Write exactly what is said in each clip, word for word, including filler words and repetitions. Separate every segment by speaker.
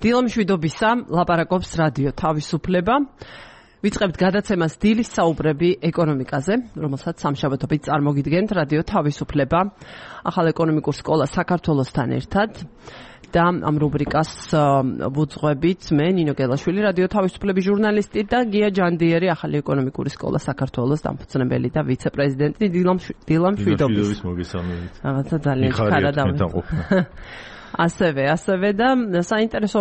Speaker 1: დილამშვიდობისა, ლაპარაკობს რადიო თავისუფლება. ვიწყებთ გადაცემას დილის საუბრები ეკონომიკაზე, რომელსაც სამშაბათობით წარმოგიდგენთ რადიო თავისუფლება, ახალ ეკონომიკურ სკოლა საქართველოსთან ერთად. და ამ რუბრიკას ვუძღვებით მე ნინო გელაშვილი, რადიო თავისუფლების ჟურნალისტი და გია ჯანდიერი, ახალი ეკონომიკური სკოლა საქართველოს დამფუძნებელი და ვიცე-პრეზიდენტი. დილამშვიდობის
Speaker 2: მოგესალმებით.
Speaker 1: რაღაცა ძალიან ხარა დავიწყო. ასევე, ასევე და საინტერესო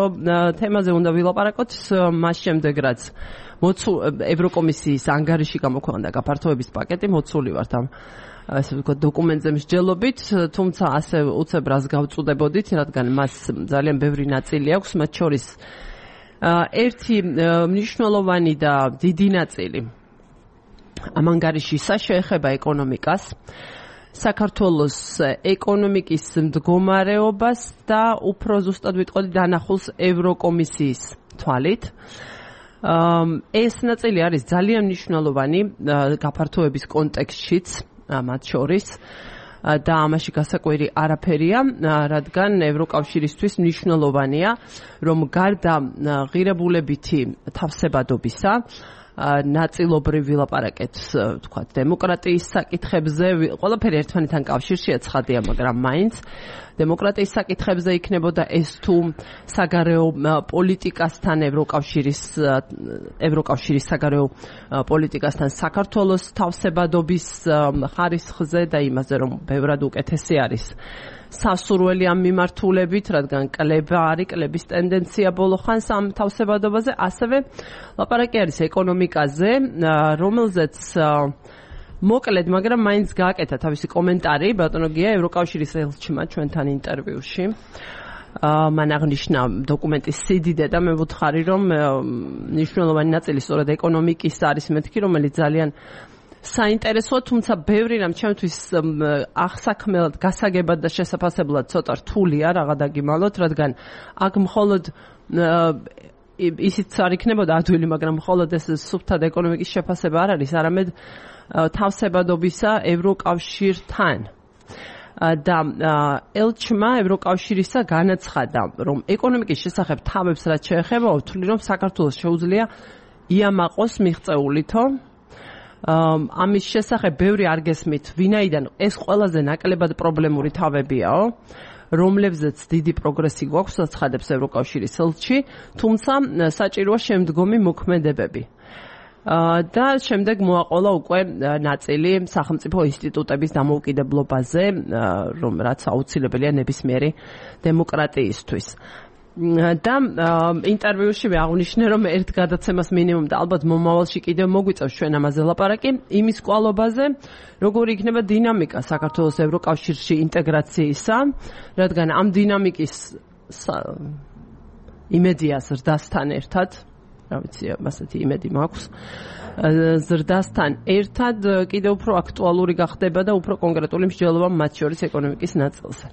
Speaker 1: თემაზე უნდა ვილაპარაკოთ მას შემდეგ, რაც ევროკომისიის ანგარიში გამოქვეყნდა გაფართოების პაკეტი, მოცული ვართ ამ ასე ვთქვათ დოკუმენტზე მსჯელობით, თუმცა ასე უცებ რას გავწუდებოდით, რადგან მას ძალიან ბევრი ნაწილი აქვს, მათ შორის ერთი მნიშვნელოვანი და დიდი ნაწილი ამ ანგარიშისა შეეხება ეკონომიკას, საქართველოს ეკონომიკის მდგომარეობას და უფრო ზუსტად ვიტყოდი დანახულს ევროკომისიის თვალით. ეს ნაწილი არის ძალიან მნიშვნელოვანი გაფართოების კონტექსტშიც მათ შორის და ამაში გასაკვირი არაფერია, რადგან ევროკავშირისთვის მნიშვნელოვანია, რომ გარდა ღირებულებითი თავსებადობისა ნაწილობრივ ვილაპარაკეთ, ვთქვათ, დემოკრატიის საკითხებზე, ყველაფერი ერთმანეთთან კავშირშია ცხადია, მაგრამ მაინც დემოკრატიის საკითხებზე იქნებოდა ეს თუ საგარეო პოლიტიკასთან ევროკავშირის ევროკავშირის საგარეო პოლიტიკასთან საქართველოს თავსებადობის ხარისხზე და იმაზე, რომ ბევრად უკეთესი არის სასურველი ამ მიმართულებით, რადგან კლება არის, კლების ტენდენცია ბოლო ხანს ამ თავსებადობაზე, ასევე ლაპარაკი არის ეკონომიკაზე, რომელზეც მოკლედ, მაგრამ მაინც გააკეთა თავისი კომენტარი ბატონო გია ევროკავშირის ელჩმა ჩვენთან ინტერვიუში. მან აღნიშნა დოკუმენტის სიდიდე და მე ვუთხარი, რომ მნიშვნელოვანი ნაწილი სწორედ ეკონომიკის არის მეთქი, რომელიც ძალიან საინტერესოა, თუმცა ბევრი რამ ჩემთვის აღსაქმელად, გასაგებად და შესაფასებლად ცოტა რთულია რაღა დაგიმალოთ, რადგან აქ მხოლოდ ისიც არ იქნებოდა ადვილი, მაგრამ მხოლოდ ეს სუფთად ეკონომიკის შეფასება არ არის, არამედ თავსებადობისა ევროკავშირთან. და ელჩმა ევროკავშირისა განაცხადა, რომ ეკონომიკის შესახებ თავებს რაც შეეხება, ვთვლი, რომ საქართველოს შეუძლია იამაყოს მიღწეულითო. ამის შესახებ ბევრი არ გესმით, ვინაიდან ეს ყველაზე ნაკლებად პრობლემური თავებიაო, რომლებზეც დიდი პროგრესი გვაქვს, აცხადებს ევროკავშირის ელჩი, თუმცა საჭიროა შემდგომი მოქმედებები. და შემდეგ მოაყოლა უკვე ნაწილი სახელმწიფო ინსტიტუტების დამოუკიდებლობაზე, რომ რაც აუცილებელია ნებისმიერი დემოკრატიისთვის. და ინტერვიუში აღნიშნე, რომ ერთ გადაცემას მინიმუმ და ალბათ მომავალში კიდევ მოგვიწევს ჩვენ ამაზე ლაპარაკი, იმის კვალობაზე, როგორი იქნება დინამიკა საქართველოს ევროკავშირში ინტეგრაციისა, რადგან ამ დინამიკის იმედია ზრდასთან ერთად, რა ვიცი, ასეთი იმედი მაქვს, ზრდასთან ერთად კიდევ უფრო აქტუალური გახდება და უფრო კონკრეტული მსჯელობა მათ შორის ეკონომიკის ნაწილზე.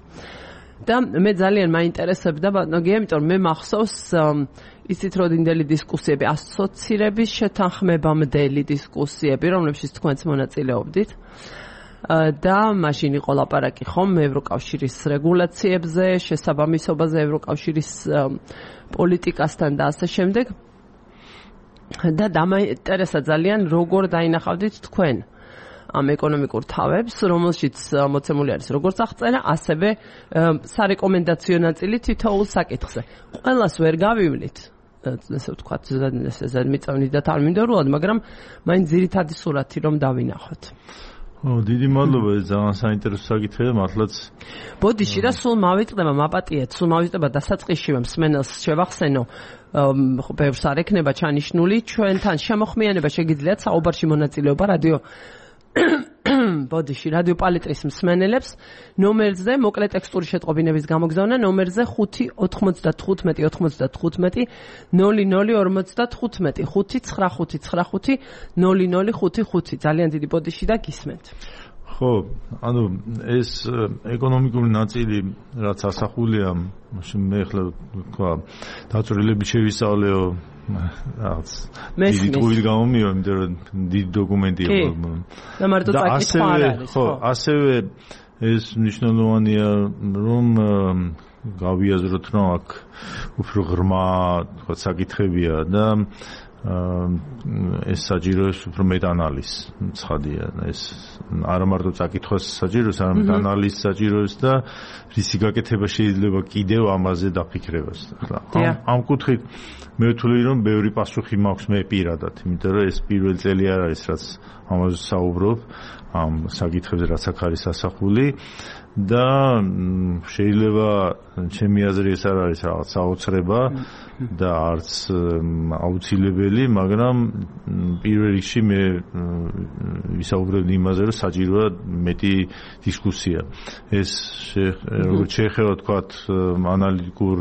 Speaker 1: და მე ძალიან მაინტერესებდა ბატონო გია, იმიტომ რომ მე მახსოვს იცით როდინდელი დისკუსიები, ასოცირების შეთანხმებამდელი დისკუსიები, რომლებშიც თქვენც მონაწილეობდით. და მაშინ იყო ლაპარაკი ხომ ევროკავშირის რეგულაციებზე, შესაბამისობაზე ევროკავშირის პოლიტიკასთან და ასე შემდეგ. და დამაინტერესა ძალიან, როგორ დაინახავდით თქვენ ამ ეკონომიკურ თავებს, რომელშიც მოცემული არის როგორც აღწერა, ასევე სარეკომენდაციო ნაწილი თითოეულ საკითხზე. ყველას ვერ გავივლით, ესე ვთქვათ, ზედმიწევნით და თანმიმდევრულად, მაგრამ მაინც ძირითადი სურათი რომ დავინახოთ.
Speaker 2: ო, დიდი მადლობა, ეს ძალიან საინტერესო საკითხია, მართლაც.
Speaker 1: ბოდიში რა სულ მავიწყდება, მაპატიეთ, სულ მავიწყდება დასაწყისშივე მსმენელს შევახსენო, ბევრს არ ექნება ჩანიშნული, ჩვენთან შემოხმიანება შეგიძლიათ საუბარში მონაწილეობა რადიო ბოდიში რადიო პალიტრის მსმენელებს ნომერზე, მოკლე ტექსტური შეტყობინების გამოგზავნა ნომერზე ხუთი ოთხმოცდათხუთმეტი ოთხმოცდათხუთმეტი ნული ნული ორმოცდათხუთმეტი ხუთი ცხრა ხუთი ცხრა ხუთი ნული ნული ხუთი ხუთი. ძალიან დიდი ბოდიში და გისმენთ.
Speaker 2: ხო, ანუ ეს ეკონომიკური ნაწილი, რაც ასახულია, მე ახლა თქვა, დაწვრილებით შევისწავლეო, რაღაც დიდი ტყუილ გამომიო, იმიტომ რომ დიდი დოკუმენტია.
Speaker 1: და მარტო წაკითხვა არ არის,
Speaker 2: ხო, ასევე ეს მნიშვნელოვანია, რომ გავიაზროთ, რომ აქ უფრო ღრმა თქვა საკითხებია და ეს საჭიროებს უფრო მეტ ანალიზს ცხადია ეს არა მარტო საკითხოს საჭიროებს არამედ ანალიზს საჭიროებს და რისი გაკეთება შეიძლება კიდევ ამაზე დაფიქრებას ახლა ამ კუთხით მე ვთვლი რომ ბევრი პასუხი მაქვს მე პირადად იმიტომ რომ ეს პირველი წელი არ არის რაც ამაზე საუბრობ ამ საკითხებზე რაც აქ არის ასახული და შეიძლება ჩემი აზრი ეს არ არის რაღაც საოცრება და არც აუცილებელი, მაგრამ პირველ რიგში მე ვისაუბრებ იმაზე, რომ საჭიროა მეტი დისკუსია. ეს როგორც შეეხება თქვათ ანალიტიკურ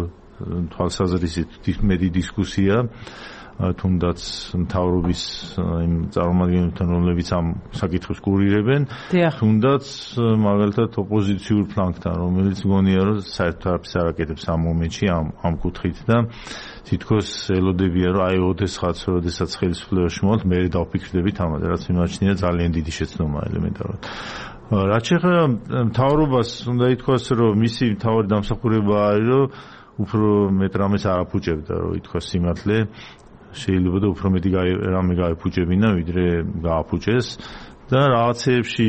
Speaker 2: თვალსაზრისით მეტი დისკუსია თუნდაც მთავრობის იმ წარმომადგენლებთან, რომლებიც ამ საკითხს კურირებენ, თუნდაც მაგალითად ოპოზიციურ ფლანგთან, რომელიც მგონია, რომ საერთოდ არაფერს არ აკეთებს ამ მომენტში ამ ამ კუთხით და თითქოს ელოდებიან, რომ აი ოდესღაც, როდესაც ხელისუფლებაში მოვალთ, მე დავფიქრდებით ამაზე, რაც მიმაჩნია ძალიან დიდი შეცდომა ელემენტარულად. რაც შეეხება მთავრობას, უნდა ითქვას, რომ მისი მთავარი დამსახურება არის, რომ უფრო მეტ რამეს არ აფუჭებდა, რომ ითქვას სიმართლე. შეიძლება და უფრო მეტი რამე გაიფუჭებინა, ვიდრე გააფუჭეს და რაღაცეებში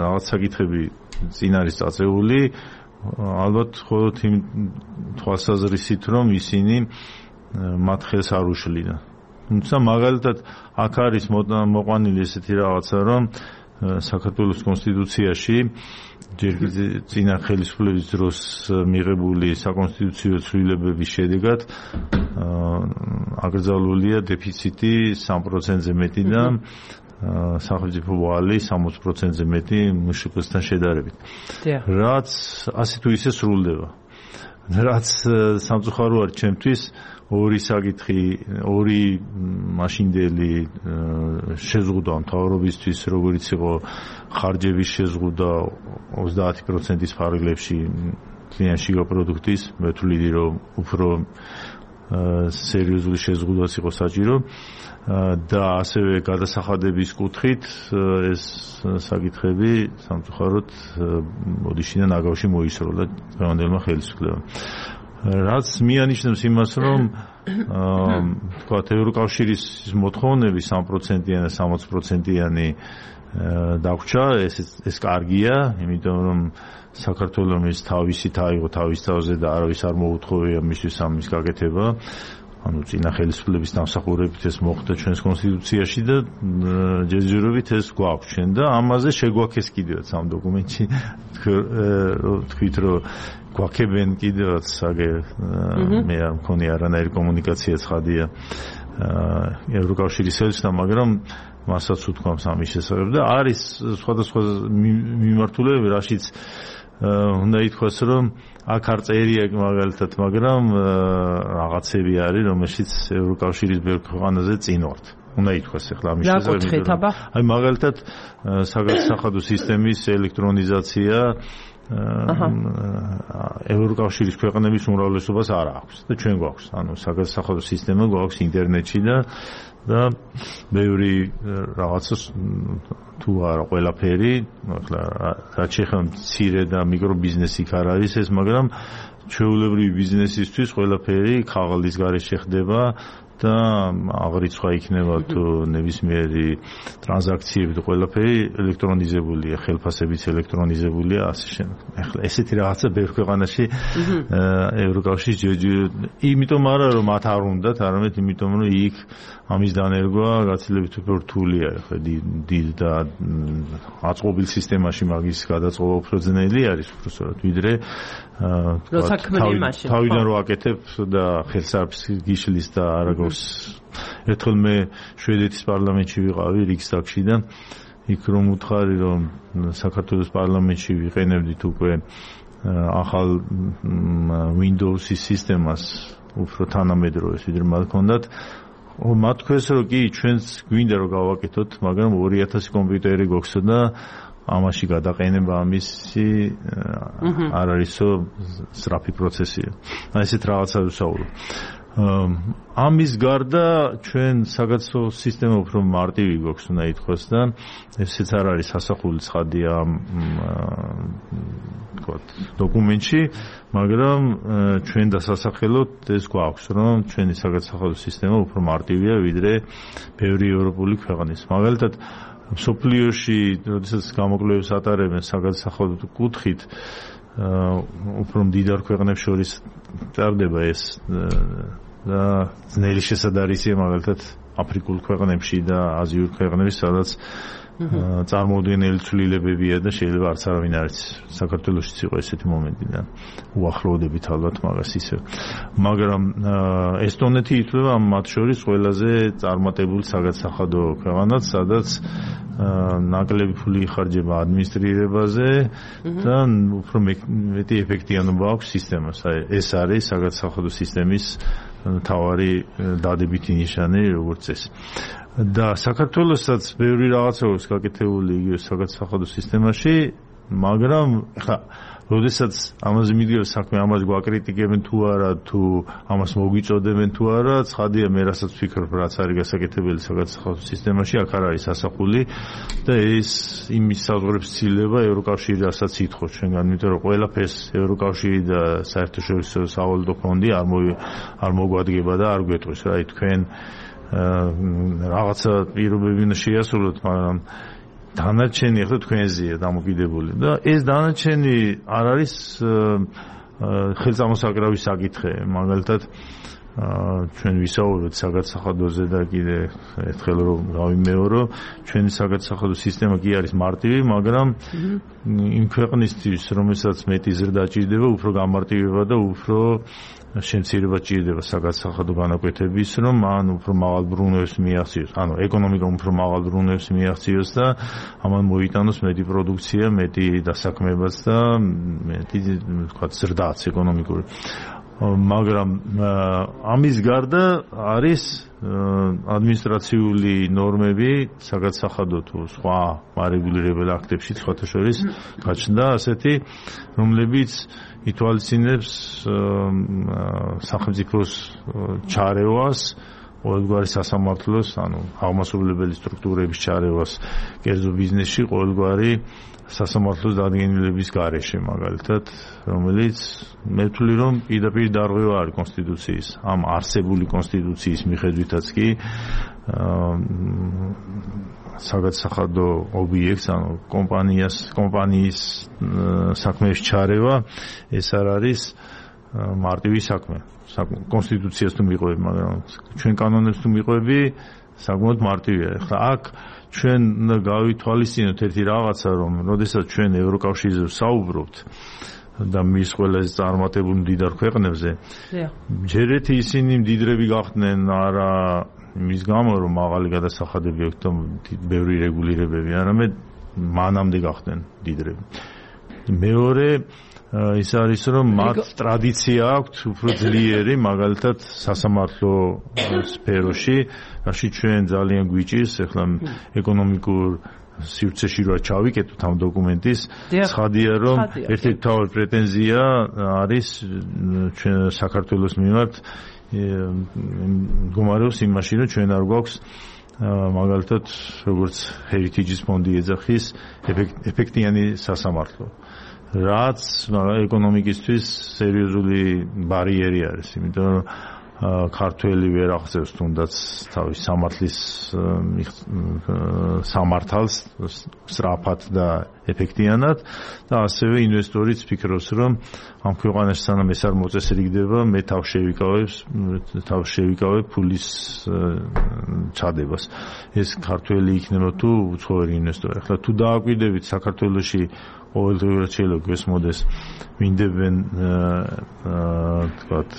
Speaker 2: რაღაც საკითხები წინ არის წაწეული, ალბათ მხოლოდ იმ თვალსაზრისით, რომ ისინი მათ ხელს არ უშლიდა. თუმცა მაგალითად აქ არის მოყვანილი ესეთი რაღაცა, რომ საქართველოს კონსტიტუციაში ჯერ წინა ხელისუფლების დროს მიღებული საკონსტიტუციო ცვლილებების შედეგად აკრძალულია დეფიციტი სამ პროცენტზე მეტი და სახელმწიფო ვალი სამოცი პროცენტზე მეტი მშპ-სთან შედარებით. რაც ასე თუ ისე სრულდება. რაც სამწუხარო არის ჩემთვის ორი საკითხი, ორი მაშინდელი შეზღუდვა მთავრობისთვის, როგორც იყო ხარჯების შეზღუდვა ოცდაათი პროცენტის ფარგლებში კლიანში პროდუქტის, მე ვთვლი რომ უფრო სერიოზული შეზღუდვაც იყო საჭირო და ასევე გადასახადების კუთხით ეს საკითხები სამწუხაროდ ოდიშიდან აგავში მოისროლა დღევანდელმა ხელისუფლებამ. რაც მიანიშნებს იმას, რომ თქვათ ევროკავშირის მოთხოვნები სამ პროცენტიანი და სამოცი პროცენტიანი დაგვრჩა, ეს ეს კარგია, იმიტომ რომ საქართველოს თავისით აიღო თავის თავზე და არავის არ მოუთხოვია მისთვის ამის გაკეთება. ანუ წინა ხელისუფლების დამსახურებით ეს მოხდა ჩვენს კონსტიტუციაში და ჯერჯერობით ეს გვაქვს ჩვენ და ამაზე შეგვაქეს კიდევაც ამ დოკუმენტში თქვით რომ გვაქებენ კიდევაც აგე მე არ მქონი არანაირი კომუნიკაცია ცხადია ევროკავშირის ელჩთან, მაგრამ მასაც უთქვამს ამის შესახებ და არის სხვადასხვა მიმართულებები, რაშიც უნდა ითქვას, რომ აქ არ წერია მაგალითად, მაგრამ რაღაცები არის, რომელშიც ევროკავშირის ბევრ ქვეყანაზე წინ ვართ. უნდა ითქვას ახლა ამის შესახებ. აი მაგალითად საგადასახადო სისტემის ელექტრონიზაცია ევროკავშირის ქვეყნების უმრავლესობას არ აქვს და ჩვენ გვაქვს. ანუ საგადასახადო სისტემა გვაქვს ინტერნეტში და და ბევრი რაღაცას თუ არა ყველაფერი, ახლა რაც შეეხება მცირე და მიკრო ბიზნესი იქ არ არის ეს, მაგრამ ჩვეულებრივი ბიზნესისთვის ყველაფერი ქაღალდის გარეშე ხდება და აღრიცხვა იქნება თუ ნებისმიერი ტრანზაქციები და ყველაფერი ელექტრონიზებულია, ხელფასებიც ელექტრონიზებულია, ასე შემდეგ. ახლა ესეთი რაღაცა ბევრ ქვეყანაში ევროკავშირის იმიტომ არა რომ მათ არ უნდათ, არამედ იმიტომ რომ იქ ამის დანერგვა გაცილებით უფრო რთული არის. ახლა დიდ და აწყობილ სისტემაში მაგის გადაწყობა უფრო ძნელი არის, უფრო სწორად, ვიდრე თავიდან რო აკეთებ და ხელს არაფერს გიშლის და არა გოს. ერთხელ მე შვედეთის პარლამენტში ვიყავი რიგსტაგში და იქ რომ უთხარი რომ საქართველოს პარლამენტში ვიყენებდით უკვე ახალ Windows-ის სისტემას უფრო თანამედროვეს, ვიდრე მათ ჰქონდათ. მათ თქვეს რომ კი ჩვენც გვინდა რომ გავაკეთოთ, მაგრამ ორი ათასი კომპიუტერი გვაქვსო და ამაში გადაყენება ამისი არ არისო სწრაფი პროცესია. აი ესეთ რაღაცა ვსაუბრობ. ამის გარდა ჩვენ საგაცნო სისტემა უფრო მარტივი გვაქვს უნდა ითქვას და ესეც არ არის სასახული ცხადია ვთქვათ დოკუმენტში, მაგრამ ჩვენ დასასახელოთ ეს გვაქვს, რომ ჩვენი საგაცნო სისტემა უფრო მარტივია ვიდრე ბევრი ევროპული ქვეყნის. მაგალითად მსოფლიოში, როდესაც გამოკვლევებს ატარებენ საგაცნო კუთხით, უფრო მდიდარ ქვეყნებს შორის ჭარბდება ეს და ძნელი შესაძარისია მაგალითად აფრიკულ ქვეყნებში და აზიურ ქვეყნებში, სადაც წარმოუდგენელი ცვლილებებია და შეიძლება არც არავინ არ იცის. საქართველოშიც იყო ესეთი მომენტი და უახლოვდებით ალბათ მაგას ისე. მაგრამ ესტონეთი ითვლება მათ შორის ყველაზე წარმატებული საგაცახადო ქვეყანად, სადაც ნაკლები ფული იხარჯება ადმინისტრირებაზე და უფრო მეტი ეფექტიანობა აქვს სისტემას. ეს არის საგაცახადო სისტემის მთავარი დადებითი ნიშანი, როგორც ეს. და საქართველოსაც ბევრი რაღაცა აქვს გაკეთებული იგივე საგაცახადო სისტემაში, მაგრამ ხა როდესაც ამაზე მიდგება საქმე, ამას გვაკრიტიკებენ თუ არა, თუ ამას მოგვიწოდებენ თუ არა, ცხადია მე რასაც ვფიქრობ, რაც არის გასაკეთებელი საგაცახადო სისტემაში, აქ არ არის ასახული და ეს იმის საზღვრებს ცილდება ევროკავშირი, რასაც ითხოვს ჩვენგან, იმიტომ რომ ყველაფერს ევროკავშირი და საერთაშორისო სავალუტო ფონდი არ არ მოგვადგება და არ გვეტყვის რა, თქვენ რაღაცა პირობები უნდა შეასრულოთ, მაგრამ დანარჩენი ახლა თქვენზეა დამოკიდებული და ეს დანარჩენი არ არის ხელწამოსაკრავი საკითხი, მაგალითად ჩვენ ვისაუბრეთ საგაცახადოზე და კიდე ერთხელ რომ გავიმეორო, ჩვენი საგაცახადო სისტემა კი არის მარტივი, მაგრამ იმ ქვეყნისთვის, რომელსაც მეტი ზრდა ჭირდება, უფრო გამარტივება და უფრო შემცირება ჭირდება საგაცახადო განაკვეთების, რომ მან უფრო მაღალ ბრუნვებს მიაღწიოს, ანუ ეკონომიკა უფრო მაღალ ბრუნვებს მიაღწიოს და ამან მოიტანოს მეტი პროდუქცია, მეტი დასაქმებაც და მეტი ვთქვათ ზრდაც ეკონომიკური. მაგრამ ამის გარდა არის ადმინისტრაციული ნორმები საგაცახადო თუ სხვა მარეგულირებელ აქტებში სხვათა შორის გაჩნდა ასეთი, რომლებიც ითვალისწინებს სახელმწიფოს ჩარევას, ყოველგვარი სასამართლოს, ანუ აღმასრულებელი სტრუქტურების ჩარევას კერძო ბიზნესში, ყოველგვარი სასამართლოს დადგენილების გარეშე, მაგალითად, რომელიც მე ვთვლი, რომ პირდაპირ დარღვევა არის კონსტიტუციის, ამ არსებული კონსტიტუციის მიხედვითაც კი საგაცახადო ობიექტს, ანუ კომპანიას, კომპანიის საქმეში ჩარევა, ეს არ არის მარტივი საქმე. კონსტიტუციას თუ მიყვები, მაგრამ ჩვენ კანონებს თუ მიყვები, საკმაოდ მარტივია. ახლა აქ ჩვენ გავითვალისწინოთ ერთი რაღაცა, რომ როდესაც ჩვენ ევროკავშირზე ვსაუბრობთ და მის ყველაზე წარმატებულ მდიდარ ქვეყნებზე, ჯერეთი ისინი მდიდრები გახდნენ არა იმის გამო, რომ მაღალი გადასახადები აქვს და ბევრი რეგულირებები, არამედ მანამდე გახდნენ მდიდრები. მეორე ის არის, რომ მათ ტრადიცია აქვთ უფრო ძლიერი, მაგალითად სასამართლო სფეროში, რაში ჩვენ ძალიან გვიჭირს, ახლა ეკონომიკურ სივრცეში რა ჩავიკეთოთ ამ დოკუმენტის, ცხადია, რომ ერთ-ერთი მთავარი პრეტენზია არის ჩვენ საქართველოს მიმართ მდგომარეობს იმაში, რომ ჩვენ არ გვაქვს მაგალითად როგორც Heritage-ის ფონდი ეძახის ეფექტიანი სასამართლო. რაც ეკონომიკისთვის სერიოზული ბარიერი არის, იმიტომ რომ ქართველი ვერ აღწევს თუნდაც თავის სამართლის სამართალს სწრაფად და ეფექტიანად და ასევე ინვესტორიც ფიქრობს, რომ ამ ქვეყანაში სანამ ეს არ მოწესრიგდება, მე თავ შევიკავებს, თავ შევიკავებ ფულის ჩადებას. ეს ქართველი იქნება თუ უცხოელი ინვესტორი. ახლა თუ დააკვირდებით საქართველოში ყოველდღიურად შეიძლება გვესმოდეს მინდებენ თქვათ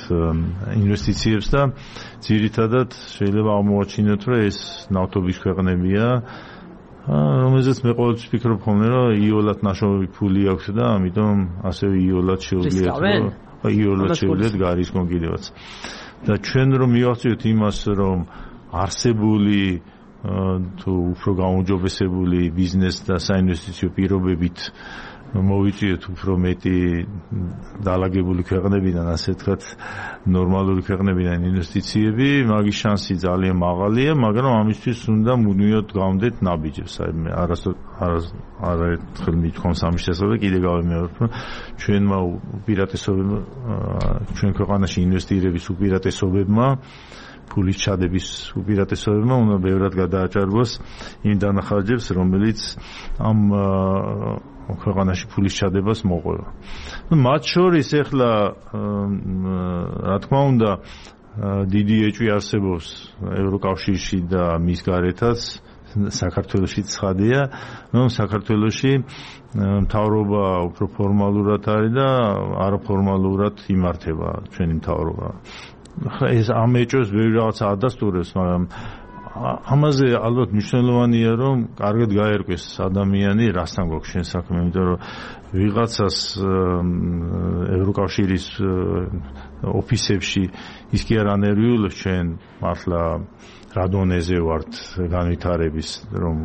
Speaker 2: ინვესტიციებს და ძირითადად შეიძლება აღმოაჩინოთ, რომ ეს ნავთობის ქვეყნებია, რომელზეც მე ყოველთვის ვფიქრობ ხოლმე, რომ იოლად ნაშოვნი ფული აქვს და ამიტომ ასევე იოლად შეუძლიათ, რომ იოლად შეუძლიათ გარისკონ კიდევაც. და ჩვენ რომ მივახციოთ იმას, რომ არსებული თუ უფრო გაუმჯობესებული ბიზნეს და საინვესტიციო პირობებით მოვიწიოთ უფრო მეტი დალაგებული ქვეყნებიდან, ასე ვთქვათ, ნორმალური ქვეყნებიდან ინვესტიციები, მაგის შანსი ძალიან მაღალია, მაგრამ ამისთვის უნდა მუდმივად გავამდეთ ნაბიჯებს. აი არასდროს არაერთხელ მithქვამს ამის შესახებ, კიდე გავიმეორებ, რომ ჩვენმა უპირატესობებმა, ჩვენ ქვეყანაში ინვესტირების უპირატესობებმა, ფულის ჩადების უპირატესობებმა უნდა ბევრად გადააჭარბოს იმ დანახარჯებს, რომელიც ამ ქვეყანაში ფულის ჩადებას მოყვება. მათ შორის ახლა რა თქმა უნდა დიდი ეჭვი არსებობს ევროკავშირში და მის გარეთაც, საქართველოში ცხადია, რომ საქართველოში მთავრობა უფრო ფორმალურად არის და არაფორმალურად იმართება ჩვენი მთავრობა. ეს ამ ეჭვს ბევრი რაღაცა ადასტურებს, მაგრამ ამაზე ალბათ მნიშვნელოვანია, რომ კარგად გაერკვეს ადამიანი, რასთან გვაქვს შენ საქმე, იმიტომ რომ ვიღაცას ევროკავშირის ოფისებში ის კი არ ანერვიულებს ჩვენ მართლა რა დონეზე ვართ განვითარების, რომ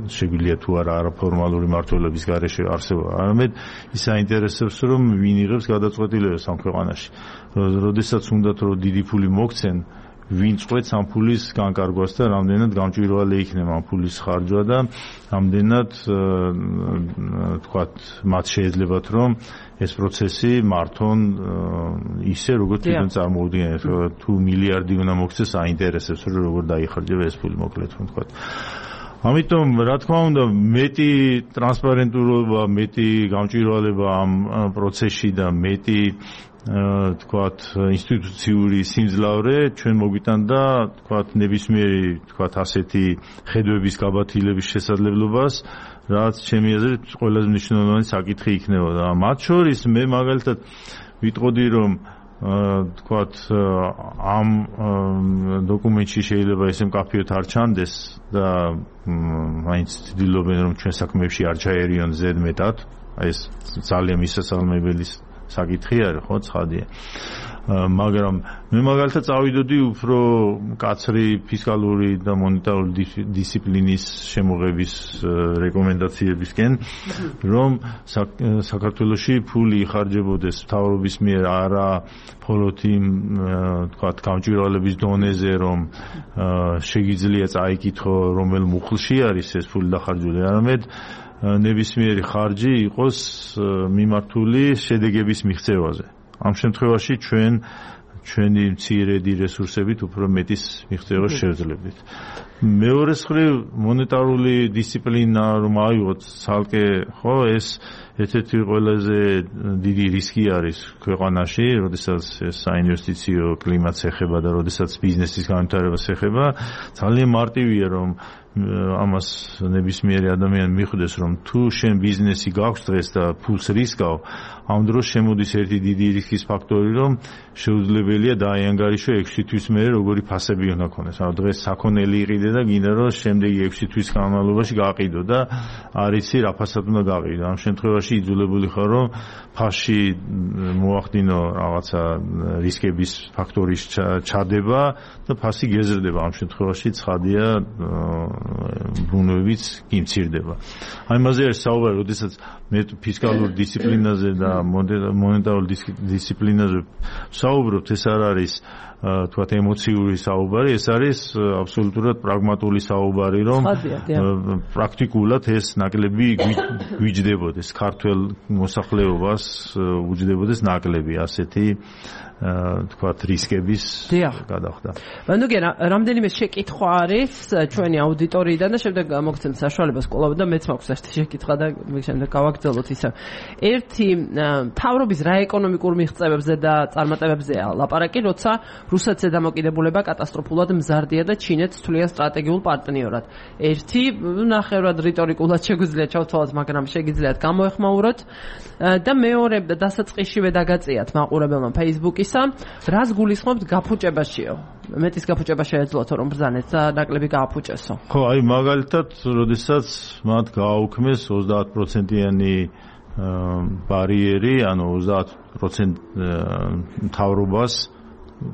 Speaker 2: შეგვიძლია თუ არა არაფორმალური მმართველობის გარეშე არსებობა, არამედ ის აინტერესებს, რომ ვინ იღებს გადაწყვეტილებებს ამ ქვეყანაში. როდესაც უნდათ რომ დიდი ფული მოგცენ, ვინ წყვეტს ამ ფულის განკარგვას და რამდენად გამჭვირვალე იქნება ამ ფულის ხარჯვა და რამდენად თქვათ მათ შეეძლებათ რომ ეს პროცესი მართონ ისე როგორც თვითონ წარმოუდგენთ. თუ მილიარდი უნდა მოგცეს, აინტერესებს რომ როგორ დაიხარჯება ეს ფული, მოკლედ ვთქვათ. ამიტომ რა თქმა უნდა მეტი ტრანსპარენტულობა, მეტი გამჭვირვალება ამ პროცესში და მეტი თქვათ ინსტიტუციური სიმძლავრე ჩვენ მოგვიტანდა თქვათ ნებისმიერი თქვათ ასეთი ხედვების გაბათილების შესაძლებლობას, რაც ჩემი აზრით ყველაზე მნიშვნელოვანი საკითხი იქნებოდა. მათ შორის მე მაგალითად ვიტყოდი, რომ თქვათ ამ დოკუმენტში შეიძლება ესე მკაფიოდ არ ჩანდეს და მაინც ცდილობენ რომ ჩვენ საქმეებში არ ჩაერიონ ზედმეტად, ეს ძალიან მისასალმებელი საკითხი არის, ხო, ცხადია. მაგრამ მე მაგალითად წავიდოდი უფრო მკაცრი ფისკალური და მონეტარული დისციპლინის შემოღების რეკომენდაციებისკენ, რომ საქართველოში ფული იხარჯებოდეს მთავრობის მიერ არა მხოლოდ იმ თქვათ გამჭვირვალების დონეზე, რომ შეგიძლია წაიკითხო რომელ მუხლში არის ეს ფული დახარჯული, არამედ ნებისმიერი ხარჯი იყოს მიმართული შედეგების მიღწევაზე. ამ შემთხვევაში ჩვენ ჩვენი მცირედი რესურსებით უფრო მეტის მიღწევას შევძლებდით. მეორეს მხრივ მონეტარული დისციპლინა რომ ავიღოთ ცალკე, ხო, ეს ერთ-ერთი ყველაზე დიდი რისკი არის ქვეყანაში, როდესაც ეს საინვესტიციო კლიმატს ეხება და როდესაც ბიზნესის განვითარებას ეხება, ძალიან მარტივია რომ ამას ნებისმიერი ადამიანი მიხვდეს, რომ თუ შენ ბიზნესი გაქვს დღეს და ფულს რისკავ, ამ დროს შემოდის ერთი დიდი რისკის ფაქტორი, რომ შეუძლებელია დააიანგარიშო ექვსი თვის მერე როგორი ფასები უნდა ქონდეს. ანუ დღეს საქონელი იყიდე და გინდა რომ შემდეგი ექვსი თვის განმავლობაში გაყიდო და არ იცი რა ფასად უნდა გაყიდო. ამ შემთხვევაში იძულებული ხარ რომ ფასში მოახდინო რაღაცა რისკების ფაქტორის ჩადება და ფასი გეზრდება. ამ შემთხვევაში ცხადია ბრუნვებიც კი მცირდება. აი მასზე არის საუბარი, როდესაც მე ფისკალურ დისციპლინაზე და მონეტარულ დისციპლინაზე საუბრობთ, ეს არ არის თქვათ ემოციური საუბარი, ეს არის აბსოლუტურად პრაგმატული საუბარი, რომ პრაქტიკულად ეს ნაკლები გვიჯდებოდეს, ქართველ მოსახლეობას უჯდებოდეს ნაკლები ასეთი თქვათ რისკების გადახდა.
Speaker 1: ნუ რამდენიმე შეკითხვა არის ჩვენი აუდიტორიიდან და შემდეგ მოგცემთ საშუალებას კვლავ და მეც მაქვს ერთი შეკითხვა და შემდეგ გავაგრძელოთ ისე. ერთი მთავრობის რა ეკონომიკურ მიღწევებზე და წარმატებებზეა ლაპარაკი, როცა რუსეთზე დამოკიდებულება კატასტროფულად მზარდია და ჩინეთს თვლიან სტრატეგიულ პარტნიორად. ერთი ნახევრად რიტორიკულად შეგვიძლია ჩავთვალოთ, მაგრამ შეგიძლიათ გამოეხმაუროთ და მეორე დასაწყისშივე დაგაწიათ მაყურებელმა Facebook-ისა, რას გულისხმობთ გაფუჭებაშიო? მეტის გაფუჭება შეეძლოთ რომ ბრძანეთ და ნაკლები გააფუჭესო.
Speaker 2: ხო, აი მაგალითად, როდესაც მათ გააუქმეს ოცდაათ პროცენტიანი ბარიერი, ანუ ოცდაათ პროცენტ მთავრობას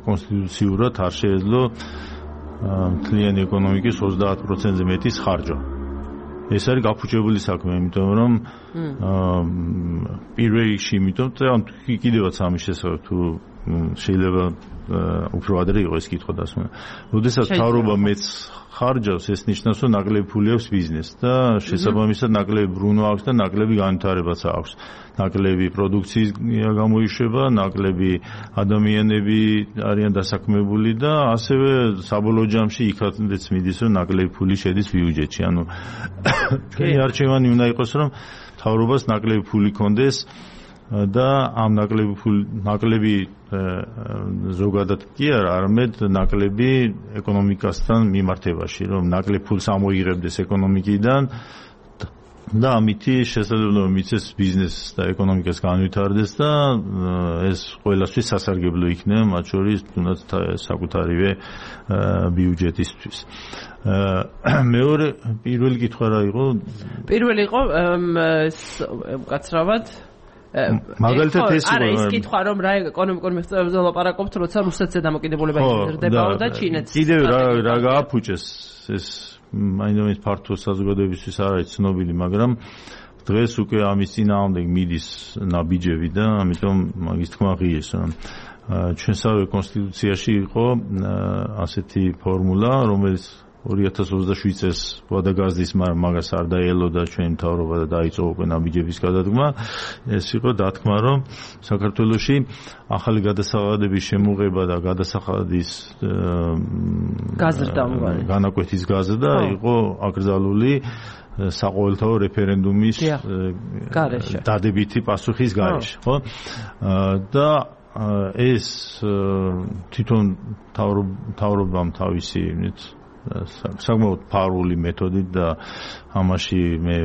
Speaker 2: კონსტიტუციურად არ შეეძლო მთლიანი ეკონომიკის ოცდაათ პროცენტზე მეტის ხარჯვა. ეს არის გაფუჭებული საქმე, იმიტომ რომ პირველ რიგში, იმიტომ რომ კიდევაც ამის შესახებ თუ შეიძლება უფრო ადრე იყო ეს კითხვა დასმული. როდესაც მთავრობა მეც ხარჯავს, ეს ნიშნავს, რომ ნაკლები ფული აქვს ბიზნესს და შესაბამისად ნაკლები ბრუნვა აქვს და ნაკლები განვითარებაც აქვს. ნაკლები პროდუქციის გამოიშვება, ნაკლები ადამიანები არიან დასაქმებული და ასევე საბოლოო ჯამში იქაც მიდის, რომ ნაკლები ფული შედის ბიუჯეტში. ანუ ჩვენი არჩევანი უნდა იყოს, რომ მთავრობას ნაკლები ფული კონდეს და ამ ნაკლები ნაკლები ზოგადად კი არა, არამედ ნაკლები ეკონომიკასთან მიმართებაში, რომ ნაკლებ ფულს ამოიღებდეს ეკონომიკიდან და ამითი შესაძლებლობა მიცეს ბიზნესს და ეკონომიკას განვითარდეს და ეს ყველასთვის სასარგებლო იქნება, მათ შორის თუნდაც საკუთარივე ბიუჯეტისთვის. მეორე პირველი კითხვა რა იყო?
Speaker 1: პირველი იყო უკაცრავად
Speaker 2: მაგალითად ეს
Speaker 1: არა ის კითხვა რომ რა ეკონომიკურ მიღწევებზე ვლაპარაკობთ, როცა რუსეთზე დამოკიდებულება იზრდებაო და ჩინეთს
Speaker 2: კიდევ რა რა გააფუჭეს ეს მაინდამის ფართო საზოგადოებისთვის არ არის ცნობილი, მაგრამ დღეს უკვე ამის წინააღმდეგ მიდის ნაბიჯები და ამიტომ მაგის თქმა ღიეს, რომ ჩვენსავე კონსტიტუციაში იყო ასეთი ფორმულა, რომელიც ორი ათას ოცდაშვიდ წელს ვადაგაზდის, მაგრამ მაგას არ დაელოდა ჩვენი მთავრობა და დაიწყო უკვე ნაბიჯების გადადგმა. ეს იყო დათქმა, რომ საქართველოში ახალი გადასახადების შემოღება და გადასახადის
Speaker 1: გაზრდა
Speaker 2: განაკვეთის გაზრდა იყო აკრძალული საყოველთაო რეფერენდუმის დადებითი პასუხის გარეშე, ხო? და ეს თვითონ მთავრობამ თავისი საკმაოდ ფარული მეთოდით და ამაში მე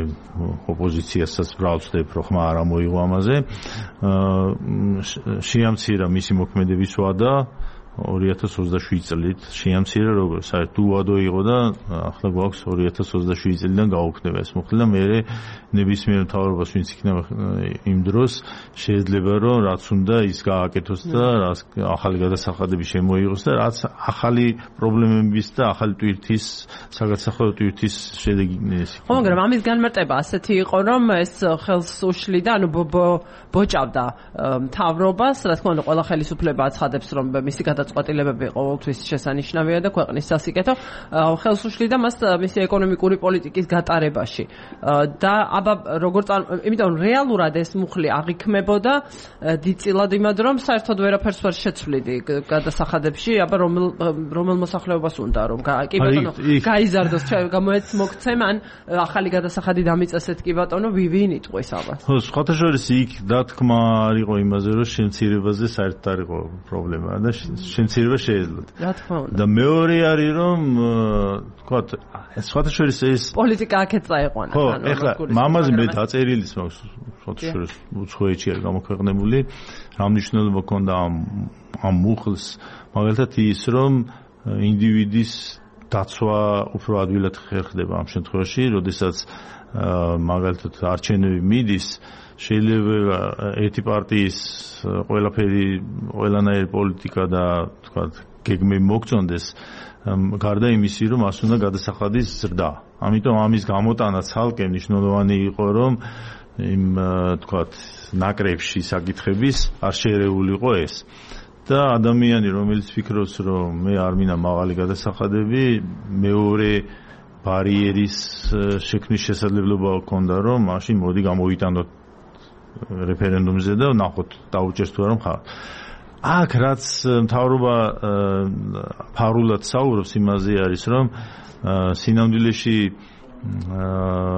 Speaker 2: ოპოზიციასაც ბრალვდებ, რომ ხმა არ ამოიღო ამაზე. შეამცირა მისი მოქმედების ვადა ორი ათას ოცდაშვიდ წლით, შეამცირა როგორ საერთოდ უვადო იყო და ახლა გვაქვს ორი ათას ოცდაშვიდ წლიდან გაუქმდება ეს მოხდა და მე ნებისმიერ მთავრობას ვინც იქნება იმ დროს შეიძლება რომ რაც უნდა ის გააკეთოს და რაც ახალი გადასახადები შემოიღოს და რაც ახალი პრობლემების და ახალი ტვირთის საგადასახადო ტვირთის შედეგი ის.
Speaker 1: ხო, მაგრამ ამის განმარტება ასეთი იყო, რომ ეს ხელს უშლიდა, ანუ ბოჭავდა მთავრობას, რა თქმა უნდა, ყველა ხელისუფლება აცხადებს, რომ მისი გადაწყვეტილებები ყოველთვის შესანიშნავია და ქვეყნის სასიკეთო ხელს უშლიდა მას მისი ეკონომიკური პოლიტიკის გატარებაში. და აბა როგორც იმიტომ რეალურად ეს მუხლი აღიქმებოდა დიდწილად იმად რომ საერთოდ ვერაფერს ვერ შეცვლიდი გადასახადებში, აბა რომელ რომელ მოსახლეობას უნდა რომ კი ბატონო გაიზარდოს გამოეც მოგცემ ან ახალი გადასახადი დამიწესეთ კი ბატონო ვინ იტყვის აბა.
Speaker 2: ხო, სხვათა შორის იქ დათქმა არ იყო იმაზე რომ შემცირებაზე საერთოდ არ იყო პრობლემა და შემცირება შეიძლება.
Speaker 1: რა თქმა უნდა.
Speaker 2: და მეორე არის რომ თქვა სხვათა შორის ეს
Speaker 1: პოლიტიკა აქეთ წაიყვანა.
Speaker 2: ხო, ეხლა მამაზე მე დაწერილის მაქვს სხვათა შორის უცხოეთში არის გამოქვეყნებული, რა მნიშვნელობა ჰქონდა ამ ამ მუხლს, მაგალითად ის რომ ინდივიდის დაცვა უფრო ადვილად ხერხდება ამ შემთხვევაში, როდესაც მაგალითად არჩევნები მიდის, შეიძლება ერთი პარტიის ყველაფერი ყველანაირი პოლიტიკა და თქვა გეგმები მოგწონდეს, გარდა იმისი რომ მას უნდა გადასახადის ზრდა. ამიტომ ამის გამოტანა ცალკე მნიშვნელოვანი იყო, რომ იმ თქვა ნაკრებში საკითხების არ შეერეულიყო ეს. და ადამიანი რომელიც ფიქრობს რომ მე არ მინდა მაღალი გადასახადები, მეორე ბარიერის შექმნის შესაძლებლობა ჰქონდა, რომ მაშინ მოდი გამოვიტანოთ რეფერენდუმზე და ნახოთ დაუჭერს თუ არა მხარ. აქ რაც მთავრობა ფარულად საუბრობს იმაზე არის, რომ სინამდვილეში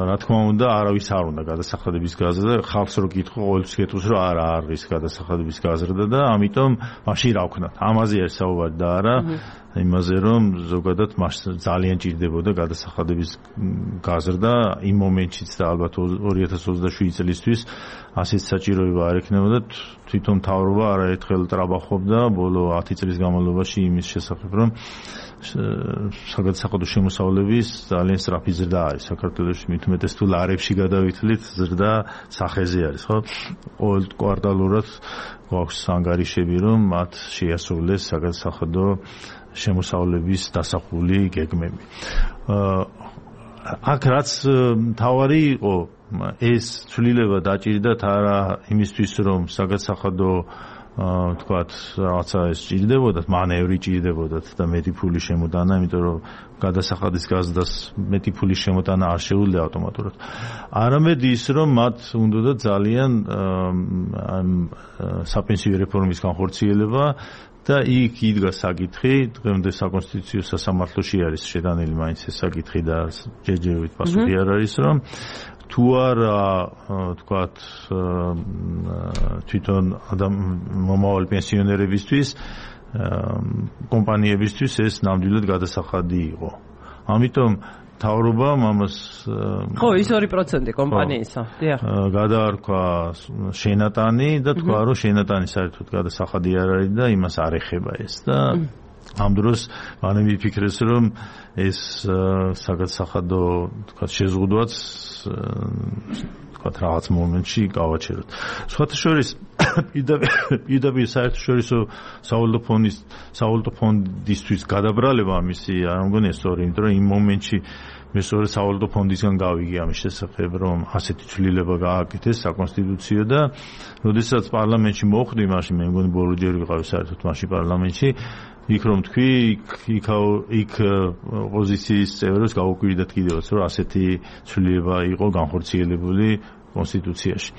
Speaker 2: რა თქმა უნდა არავის არ უნდა გადასახადების გაზრდა, ხალხს რო კითხო ყოველთვის კითხავს რომ არა არის გადასახადების გაზრდა და ამიტომ მაშინ რა ვქნათ. ამაზე არის საუბარი და არა იმაზე რომ ზოგადად მას ძალიან ჭირდებოდა გადასახადების გაზრდა იმ მომენტშიც და ალბათ ორი ათას ოცდაშვიდ წლისთვის ასეთ საჭიროება არ ექნებოდა. თვითონ მთავრობა არაერთხელ ტრაბახობდა ბოლო ათი წლის განმავლობაში იმის შესახებ, რომ საგადასახადო შემოსავლების ძალიან სწრაფი ზრდა არის საქართველოში, მით უმეტეს თუ ლარებში გადავითვლით ზრდა სახეზე არის, ხო? ყოველ კვარტალურად გვაქვს ანგარიშები, რომ მათ შეასრულეს საგადასახადო შემოსავლების დასახული გეგმები. აქ რაც თავარი იყო ეს ცვლილება დაჭირდათ არა იმისთვის რომ საგადასახადო თქვათ რაღაცა ეს ჭირდებოდათ მანევრი ჭირდებოდათ და მეტი ფული შემოტანა იმიტომ რომ გადასახადის გაზდას მეტი ფულის შემოტანა არ შეუძლია ავტომატურად არამედ ის რომ მათ უნდა ძალიან საპენსიო რეფორმის განხორციელება და იქ იდგა საკითხი დღემდე საკონსტიტუციო სასამართლოში არის შეტანილი მაინც ეს საკითხი და ჯერჯერობით პასუხი არ არის რომ თუ არა თქვათ თვითონ მომავალ პენსიონერებისთვის კომპანიებისთვის ეს ნამდვილად გადასახადი იყო. ამიტომ მთავრობამ ამას
Speaker 1: ხო ის ორი პროცენტი კომპანიისა. დიახ.
Speaker 2: გადაარქვა შენატანი და თქვა რომ შენატანი საერთოდ გადასახადი არ არის და იმას არ ეხება ეს და ამ დროს მანე მიფიქრეს რომ ეს საგადასახადო თქვათ შეზღუდვაც თქვათ რაღაც მომენტში გავაჩეროთ. სხვათა შორის პირდაპირ საერთაშორისო სავალუტო ფონდის სავალუტო ფონდისთვის გადაბრალება მისი არ მგონია სწორი, იმიტომ რომ იმ მომენტში მე სწორედ სავალუტო ფონდისგან გავიგე ამის შესახებ, რომ ასეთი ცვლილება გააკეთეს საკონსტიტუციო და როდესაც პარლამენტში მოხვდი, მაშინ მე მგონი ბოლო ჯერ ვიყავი საერთოდ მაშინ პარლამენტში იქ რომ თქვი, იქ იქ ოპოზიციის წევრებს გაუკვირდათ კიდევაც, რომ ასეთი ცვლილება იყო განხორციელებული კონსტიტუციაში.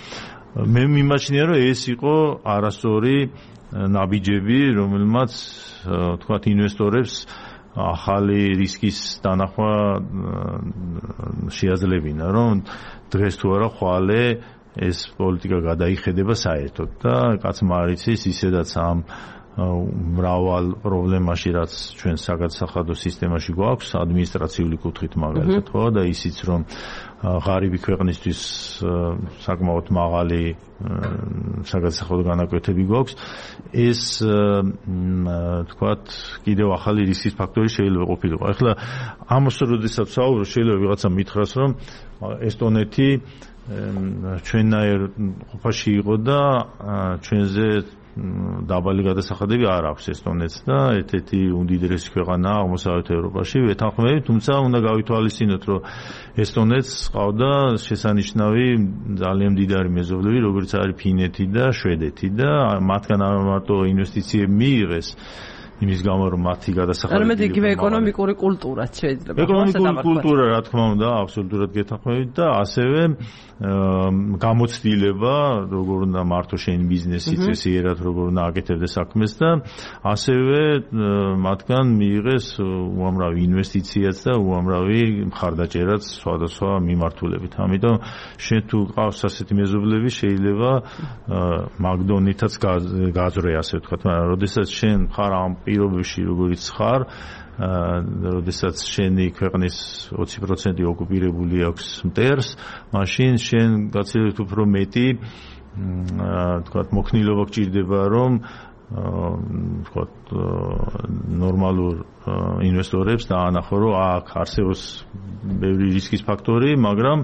Speaker 2: მე მიმაჩნია, რომ ეს იყო არასწორი ნაბიჯები, რომელმაც თქვათ ინვესტორებს ახალი რისკის დანახვა შეაძლებინა, რომ დღეს თუ არა ხვალე ეს პოლიტიკა გადაიხედება საერთოდ და კაცმა არ იცის ისედაც ამ მრავალ პრობლემაში რაც ჩვენ საგადასახადო სისტემაში გვაქვს ადმინისტრაციული კუთხით მაგალითად ხო და ისიც რომ ღარიბი ქვეყნისთვის საკმაოდ მაღალი საგადასახადო განაკვეთები გვაქვს ეს თქვათ კიდევ ახალი რისკის ფაქტორი შეიძლება ყოფილიყო. ახლა ამას როდესაც ვსაუბრობ შეიძლება ვიღაცა მითხრას რომ ესტონეთი ჩვენნაირ ყოფაში იყო და ჩვენზე დაბალი გადასახადები არ აქვს ესტონეთს და ერთ-ერთი უდიდესი ქვეყანაა აღმოსავლეთ ევროპაში ვეთანხმებით, თუმცა უნდა გავითვალისწინოთ, რომ ესტონეთს ყავდა შესანიშნავი ძალიან მდიდარი მეზობლები, როგორც არის ფინეთი და შვედეთი და მათგან არ მარტო ინვესტიციები მიიღეს იმის გამო რომ მათი გადასახადები
Speaker 1: არამედ იგივე ეკონომიკური კულტურაც შეიძლება.
Speaker 2: ეკონომიკური კულტურა რა თქმა უნდა აბსოლუტურად გეთანხმებით და ასევე გამოცდილება როგორ უნდა მართო შენი ბიზნესი წესიერად როგორ უნდა აკეთებდე საქმეს და ასევე მათგან მიიღეს უამრავი ინვესტიციაც და უამრავი მხარდაჭერაც სხვადასხვა მიმართულებით. ამიტომ შენ თუ ყავს ასეთი მეზობლები შეიძლება მაგდონითაც გააზრე ასე ვთქვათ, მაგრამ როდესაც შენ ხარ ამ პირობებში როგორიც ხარ, როდესაც შენი ქვეყნის ოცი პროცენტი ოკუპირებული აქვს მტერს, მაშინ შენ გაცილებით უფრო მეტი თქვათ მოქნილობა გჭირდება, რომ თქვათ ნორმალურ ინვესტორებს დაანახო, რომ აქ არსებობს ბევრი რისკის ფაქტორი, მაგრამ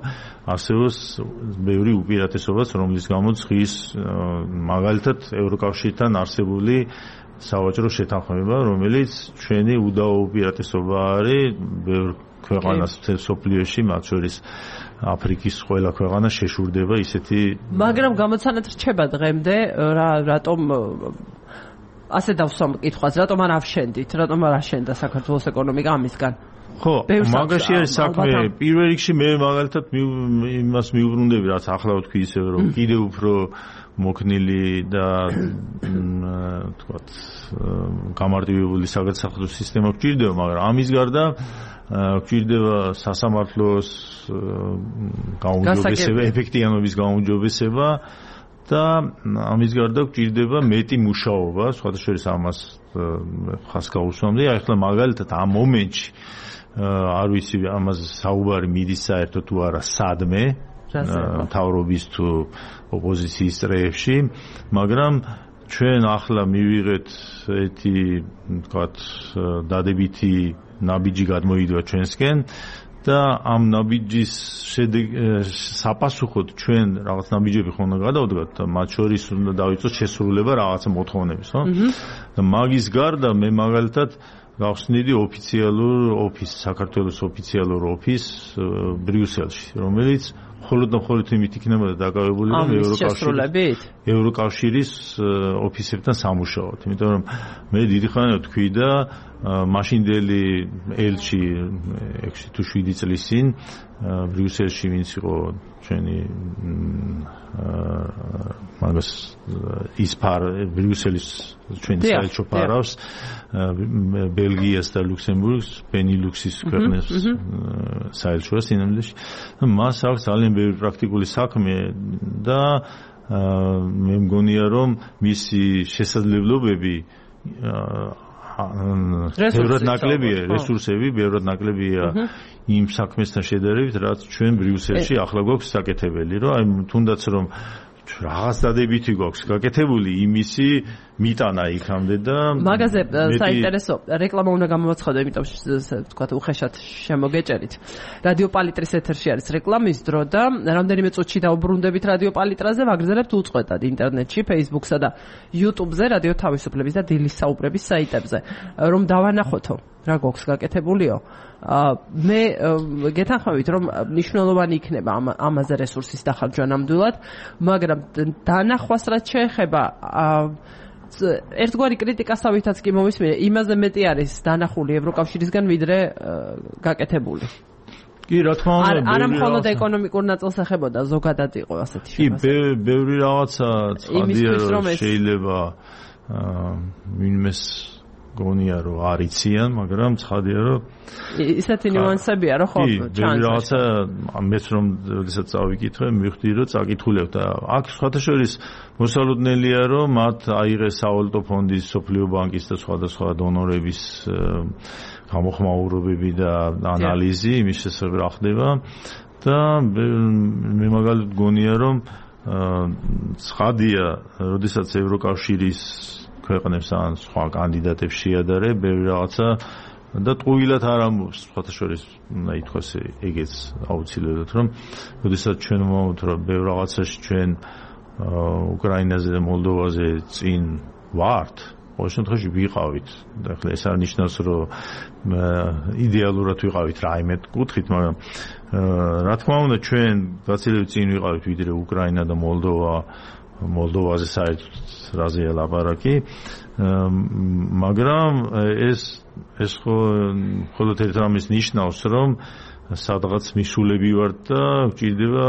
Speaker 2: არსებობს ბევრი უპირატესობაც, რომლის გამოც ხის მაგალითად ევროკავშირთან არსებული სავაჭრო შეთანხმება, რომელიც ჩვენი უდაო უპირატესობა არის ბევრ ქვეყანას მთელ სოფლიოში, მათ შორის აფრიკის ყველა ქვეყანა შეშურდება ისეთი.
Speaker 1: მაგრამ გამოცანად რჩება დღემდე რა რატომ ასე დავსვამ კითხვას, რატომ არ ავშენდით, რატომ არ აშენდა საქართველოს ეკონომიკა ამისგან?
Speaker 2: ხო, მაგაში არის საქმე. პირველ რიგში მე მაგალითად იმას მიუბრუნდები, რაც ახლა ვთქვი ისევ, რომ კიდევ უფრო მოქნილი და თქვათ გამარტივებული საგადასახადო სისტემა გვჭირდება, მაგრამ ამის გარდა გვჭირდება სასამართლოს გაუმჯობესება, ეფექტიანობის გაუმჯობესება და ამის გარდა გვჭირდება მეტი მუშაობა, სხვათა შორის ამას ხას გაუსვამდი. ახლა მაგალითად ამ მომენტში არ ვიცი ამას საუბარი მიდის საერთოდ თუ არა სადმე მთავრობის თუ ოპოზიციის წრეებში, მაგრამ ჩვენ ახლა მივიღეთ ერთი თქვათ დადებითი ნაბიჯი გადმოიდვა ჩვენსკენ და ამ ნაბიჯის საპასუხოდ ჩვენ რაღაც ნაბიჯები ხომ უნდა გადავდგათ და მათ შორის უნდა დავიწყოთ შესრულება რაღაცა მოთხოვნების, ხო? და მაგის გარდა მე მაგალითად გავხსნიდი ოფიციალურ ოფის, საქართველოს ოფიციალურ ოფის ბრიუსელში, რომელიც მხოლოდ და მხოლოდ იმით იქნებოდა დაკავებული, რომ ევროკავშირის ევროკავშირის ოფისებთან სამუშაოდ. იმიტომ რომ მე დიდი ხანია თქვი და მაშინდელი ელჩი ექვსი თუ შვიდი წლის წინ ბრიუსელში ვინც იყო ჩვენი მაგას ისფარ ბრიუსელის ჩვენი საელჩო ფარავს ბელგიას და ლუქსემბურგს ბენილუქსის ქვეყნებს საელჩოა სინამდვილეში. მას აქვს ძალიან ბევრი პრაქტიკული საქმე და მე მგონია რომ მისი შესაძლებლობები ბევრად ნაკლებია, რესურსები ბევრად ნაკლებია იმ საქმესთან შედარებით, რაც ჩვენ ბრიუსელში ახლა გვაქვს საკეთებელი, რომ აი თუნდაც რომ რაღაც დადებითი გვაქვს გაკეთებული, იმისი მიტანა იქამდე და
Speaker 1: მაგაზე საინტერესო რეკლამა უნდა გამოვაცხადო, იმიტომ თქვა უხეშად შემოგეჭერით. რადიო პალიტრის ეთერში არის რეკლამის დრო და რამდენიმე წუთში დაუბრუნდებით რადიო პალიტრაზე, ვაგრძელებთ უწყვეტად ინტერნეტში, Facebook-სა და YouTube-ზე, რადიო თავისუფლების და დილის საუბრების საიტებზე, რომ დავანახოთო რა გვაქვს გაკეთებულიო. მე გეთანხმებით რომ მნიშვნელოვანი იქნება ამაზე რესურსის დახარჯვა ნამდვილად, მაგრამ დანახვას რაც შეეხება ერთგვარი კრიტიკასავითაც კი მომისმინე, იმაზე მეტი არის დანახული ევროკავშირისგან ვიდრე გაკეთებული.
Speaker 2: კი, რა თქმა უნდა,
Speaker 1: არა მხოლოდ ეკონომიკურ ნაწილს ეხებოდა, ზოგადად იყო ასეთი
Speaker 2: შემოსავალი. კი, ბევრი რაღაცა ცხადია რომ შეიძლება ვინმეს გონია რომ არიციან, მაგრამ ცხადია რომ
Speaker 1: ისეთი ნიუანსებია რომ ხო
Speaker 2: ჩანს. კი, რაღაცა მეც რომ როდესაც წავიკითხე, მივხვდი რომ წაკითხულებ და აქ სხვათაშორის მოსალოდნელია რომ მათ აიღეს სავალუტო ფონდის, სოფლიო ბანკის და სხვადასხვა დონორების გამოხმაურებები და ანალიზი იმის შესახებ რა ხდება და მე მაგალითად გონია რომ ცხადია, როდესაც ევროკავშირის ქვეყნებს ან სხვა კანდიდატებს შეადარე ბევრი რაღაცა და ტყუილად არ ამბობს, სხვათაშორის უნდა ითქვას ეგეც აუცილებლად, რომ როდესაც ჩვენ ვამბობთ რომ ბევრ რაღაცაში ჩვენ უკრაინაზე და მოლდოვაზე წინ ვართ, ყოველ შემთხვევაში ვიყავით. და ახლა ეს არ ნიშნავს რომ იდეალურად ვიყავით რაიმე კუთხით, მაგრამ რა თქმა უნდა ჩვენ გაცილებით წინ ვიყავით ვიდრე უკრაინა და მოლდოვა. მოლდოვაზე საერთოდ რაზეა ლაპარაკი, მაგრამ ეს ეს მხოლოდ ერთ რამის ნიშნავს, რომ სადღაც მისულები ვართ და გვჭირდება,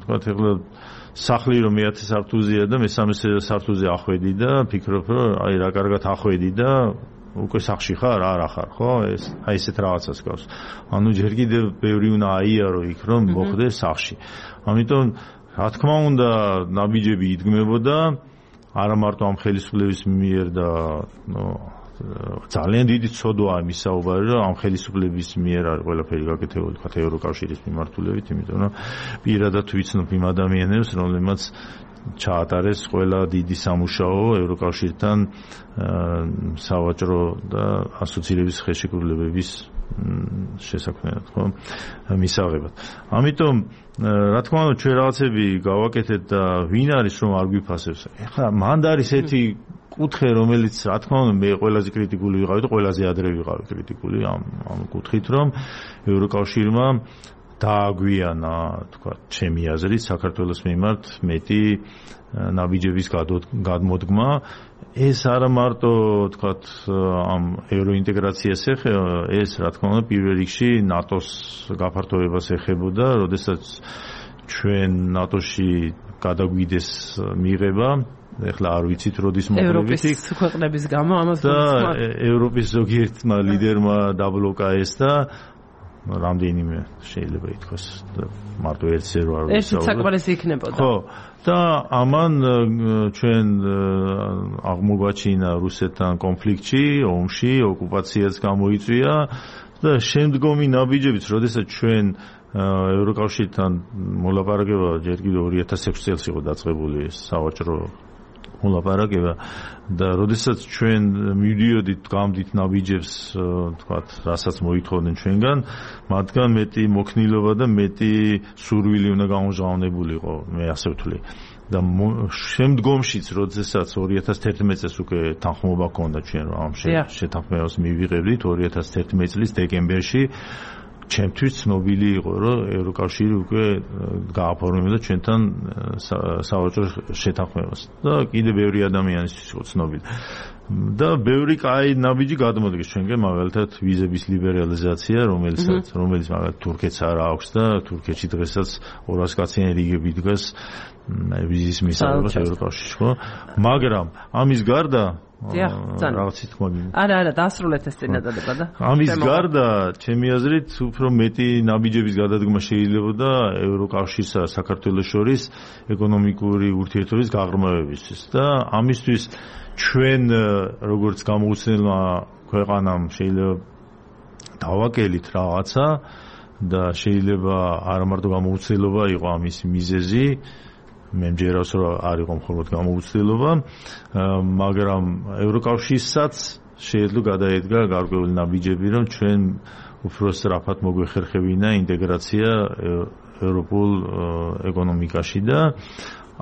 Speaker 2: თქვათ ახლა სახლი რომ მეათე სართულზეა და მესამე სართულზე ახვედი და ფიქრობ, რომ აი რა კარგად ახვედი და უკვე სახლში ხარ, არა ხარ, ხო? ეს აი ესეთ რაღაცას გავს. ანუ ჯერ კიდევ ბევრი უნდა აიარო იქ, რომ მოხდეს სახლში. ამიტომ რა თქმა უნდა, ნაბიჯები იდგმებოდა არა მარტო ამ ხელისუფლების მიერ და ძალიან დიდი ცოდვაა იმის საუბარი, რომ ამ ხელისუფლების მიერ არის ყველაფერი გაკეთებული, თქვათ ევროკავშირის მიმართულებით, იმიტომ რომ პირადად ვიცნობ იმ ადამიანებს, რომლებმაც ჩაატარეს ყველა დიდი სამუშაო ევროკავშირთან სავაჭრო და ასოცირების ხელშეკრულებების შესაქმნელად, ხო, მისაღებად. ამიტომ რა თქმა უნდა ჩვენ რაღაცები გავაკეთეთ და ვინ არის რომ არ გვიფასებს. ეხლა მანდ არის ერთი კუთხე, რომელიც რა თქმა უნდა მე ყველაზე კრიტიკული ვიყავი და ყველაზე ადრე ვიყავი კრიტიკული ამ ამ კუთხით, რომ ევროკავშირმა დააგვიანა, თქვა, ჩემი აზრით, საქართველოს მიმართ მეტი ნაბიჯების გადმოდგმა. ეს არა მარტო, თქვათ, ამ ევროინტეგრაციას ეხება, ეს რა თქმა უნდა პირველ რიგში ნატოს გაფართოებას ეხებოდა, როდესაც ჩვენ ნატოში გადაგვიდეს მიღება, ეხლა არ ვიცით როდის მოკლებით იქ
Speaker 1: ევროპის ქვეყნების გამო ამას
Speaker 2: და ევროპის ზოგიერთმა ლიდერმა დაბლოკა ეს და რამდენიმე შეიძლება ითქვას მარტო ერთზე რო არ
Speaker 1: ვიცი. ეს საკმარისი იქნებოდა.
Speaker 2: ხო, და ამან ჩვენ აღმოგვაჩინა რუსეთთან კონფლიქტში, ომში, ოკუპაციაც გამოიწვია და შემდგომი ნაბიჯებიც, როდესაც ჩვენ ევროკავშირთან მოლაპარაკება ჯერ კიდევ ორი ათას ექვსი წელს იყო დაწყებული სავაჭრო მოლაპარაკება და როდესაც ჩვენ მივდიოდით გამდით ნაბიჯებს, თქვათ, რასაც მოითხოვდნენ ჩვენგან, მათგან მეტი მოქნილობა და მეტი სურვილი უნდა გამჟღავნებულიყო, მე ასე ვთვლი. და შემდგომშიც, როდესაც ორი ათას თერთმეტი წელს უკვე თანხმობა ჰქონდა ჩვენ რომ ამ შეთანხმებას მივიღებდით ორი ათას თერთმეტი წლის დეკემბერში ჩემთვის ცნობილი იყო რომ ევროკავშირი უკვე გააფორმებდა ჩვენთან სავაჭრო შეთანხმებას და კიდე ბევრი ადამიანისთვის იყო ცნობილი და ბევრი კაი ნაბიჯი გადმოდგეს ჩვენგან მაგალითად ვიზების ლიბერალიზაცია რომელსაც რომელიც მაგალითად თურქეთს არ აქვს და თურქეთში დღესაც ორას კაციანი რიგები დგას ვიზის მისაღებად ევროკავშირში ხო მაგრამ ამის გარდა რაღაცი თქმა გინდა.
Speaker 1: არა, არა, დაასრულეთ ეს წინადადება და.
Speaker 2: ამის გარდა, ჩემი აზრით, უფრო მეტი ნაბიჯების გადადგმა შეიძლებოდა ევროკავშირსა და საქართველოს შორის ეკონომიკური ურთიერთობის გაღრმავებისთვის და ამისთვის ჩვენ როგორც გამოუცემელმა ქვეყანამ შეიძლება დავაკელით რაღაცა და შეიძლება არა მარტო გამოუცემელობა იყო ამის მიზეზი მე მჯერავს რომ არ იყო მხოლოდ გამოუცდელობა, მაგრამ ევროკავშირსაც შეეძლო გადაედგა გარკვეული ნაბიჯები, რომ ჩვენ უფრო სწრაფად მოგვეხერხებინა ინტეგრაცია ევროპულ ეკონომიკაში და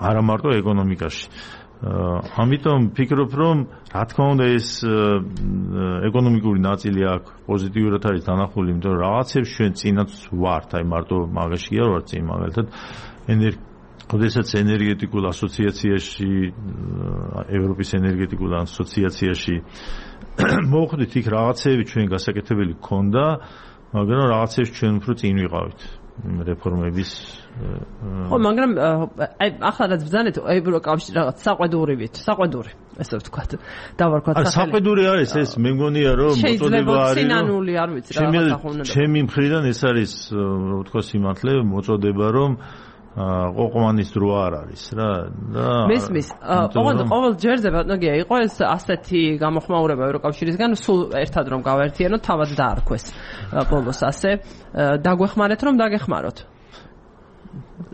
Speaker 2: არა მარტო ეკონომიკაში. ამიტომ ფიქრობ, რომ რა თქმა უნდა ეს ეკონომიკური ნაწილი აქ პოზიტიურად არის დანახული, იმიტომ რომ რაღაცებს ჩვენ წინაც ვართ, აი მარტო მაგაში არ ვართ წინ, მაგალითად ენერგია როდესაც ენერგეტიკულ ასოციაციაში ევროპის ენერგეტიკულ ასოციაციაში მოხვდით იქ რაღაცები ჩვენ გასაკეთებელი ქონდა, მაგრამ რაღაცებს ჩვენ უფრო წინ ვიყავით რეფორმების
Speaker 1: ხო, მაგრამ აი ახლა რაც ბრძანეთ ევროკავშირი რაღაც საყვედურივით, საყვედური ესე ვთქვათ, დავარქვათ
Speaker 2: სახელი. საყვედური არის ეს, მე მგონია რომ მოწოდება არის.
Speaker 1: სინანული არ ვიცი რაღაც ახუნება.
Speaker 2: ჩემი მხრიდან ეს არის, რა ვთქვა, სიმართლე, მოწოდება რომ ყოყმანის დრო არ არის რა და
Speaker 1: მისმის ოღონდ ყოველ ჯერზე ბატონია იყო ეს ასეთი გამოხმაურება ევროკავშირისგან სულ ერთად რომ გავაერთიანოთ თავად დაარქვეს ბოლოს ასე დაგვეხმარეთ რომ დაგეხმაროთ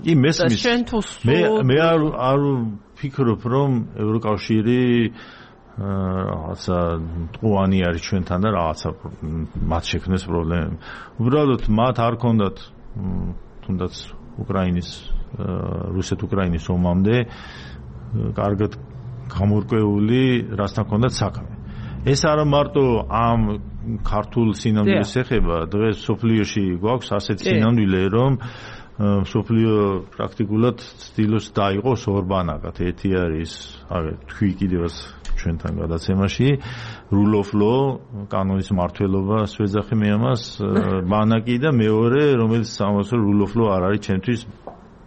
Speaker 2: კი მესმის მე მე არ არ ფიქრობ რომ ევროკავშირი რაღაცა ტყუანი არის ჩვენთან და რაღაცა მათ შექმნეს პრობლემები უბრალოდ მათ არ ქონდათ თუნდაც უკრაინის რუსეთ-უკრაინის ომამდე კარგად გამორკვეული რასთან ჰქონდათ საქმე. ეს არა მარტო ამ ქართულ სინამდვილეს ეხება, დღეს სოფლიოში გვაქვს ასეთი სინამდვილე, რომ სოფლიო პრაქტიკულად ცდილობს დაიყოს ორბანაკად. ერთი არის, აგერ თქვი კიდევაც ჩვენთან გადაცემაში, rule of law, კანონის მმართველობა, ვეძახი მე ამას, ბანაკი და მეორე, რომელიც ამას rule of law არ არის ჩემთვის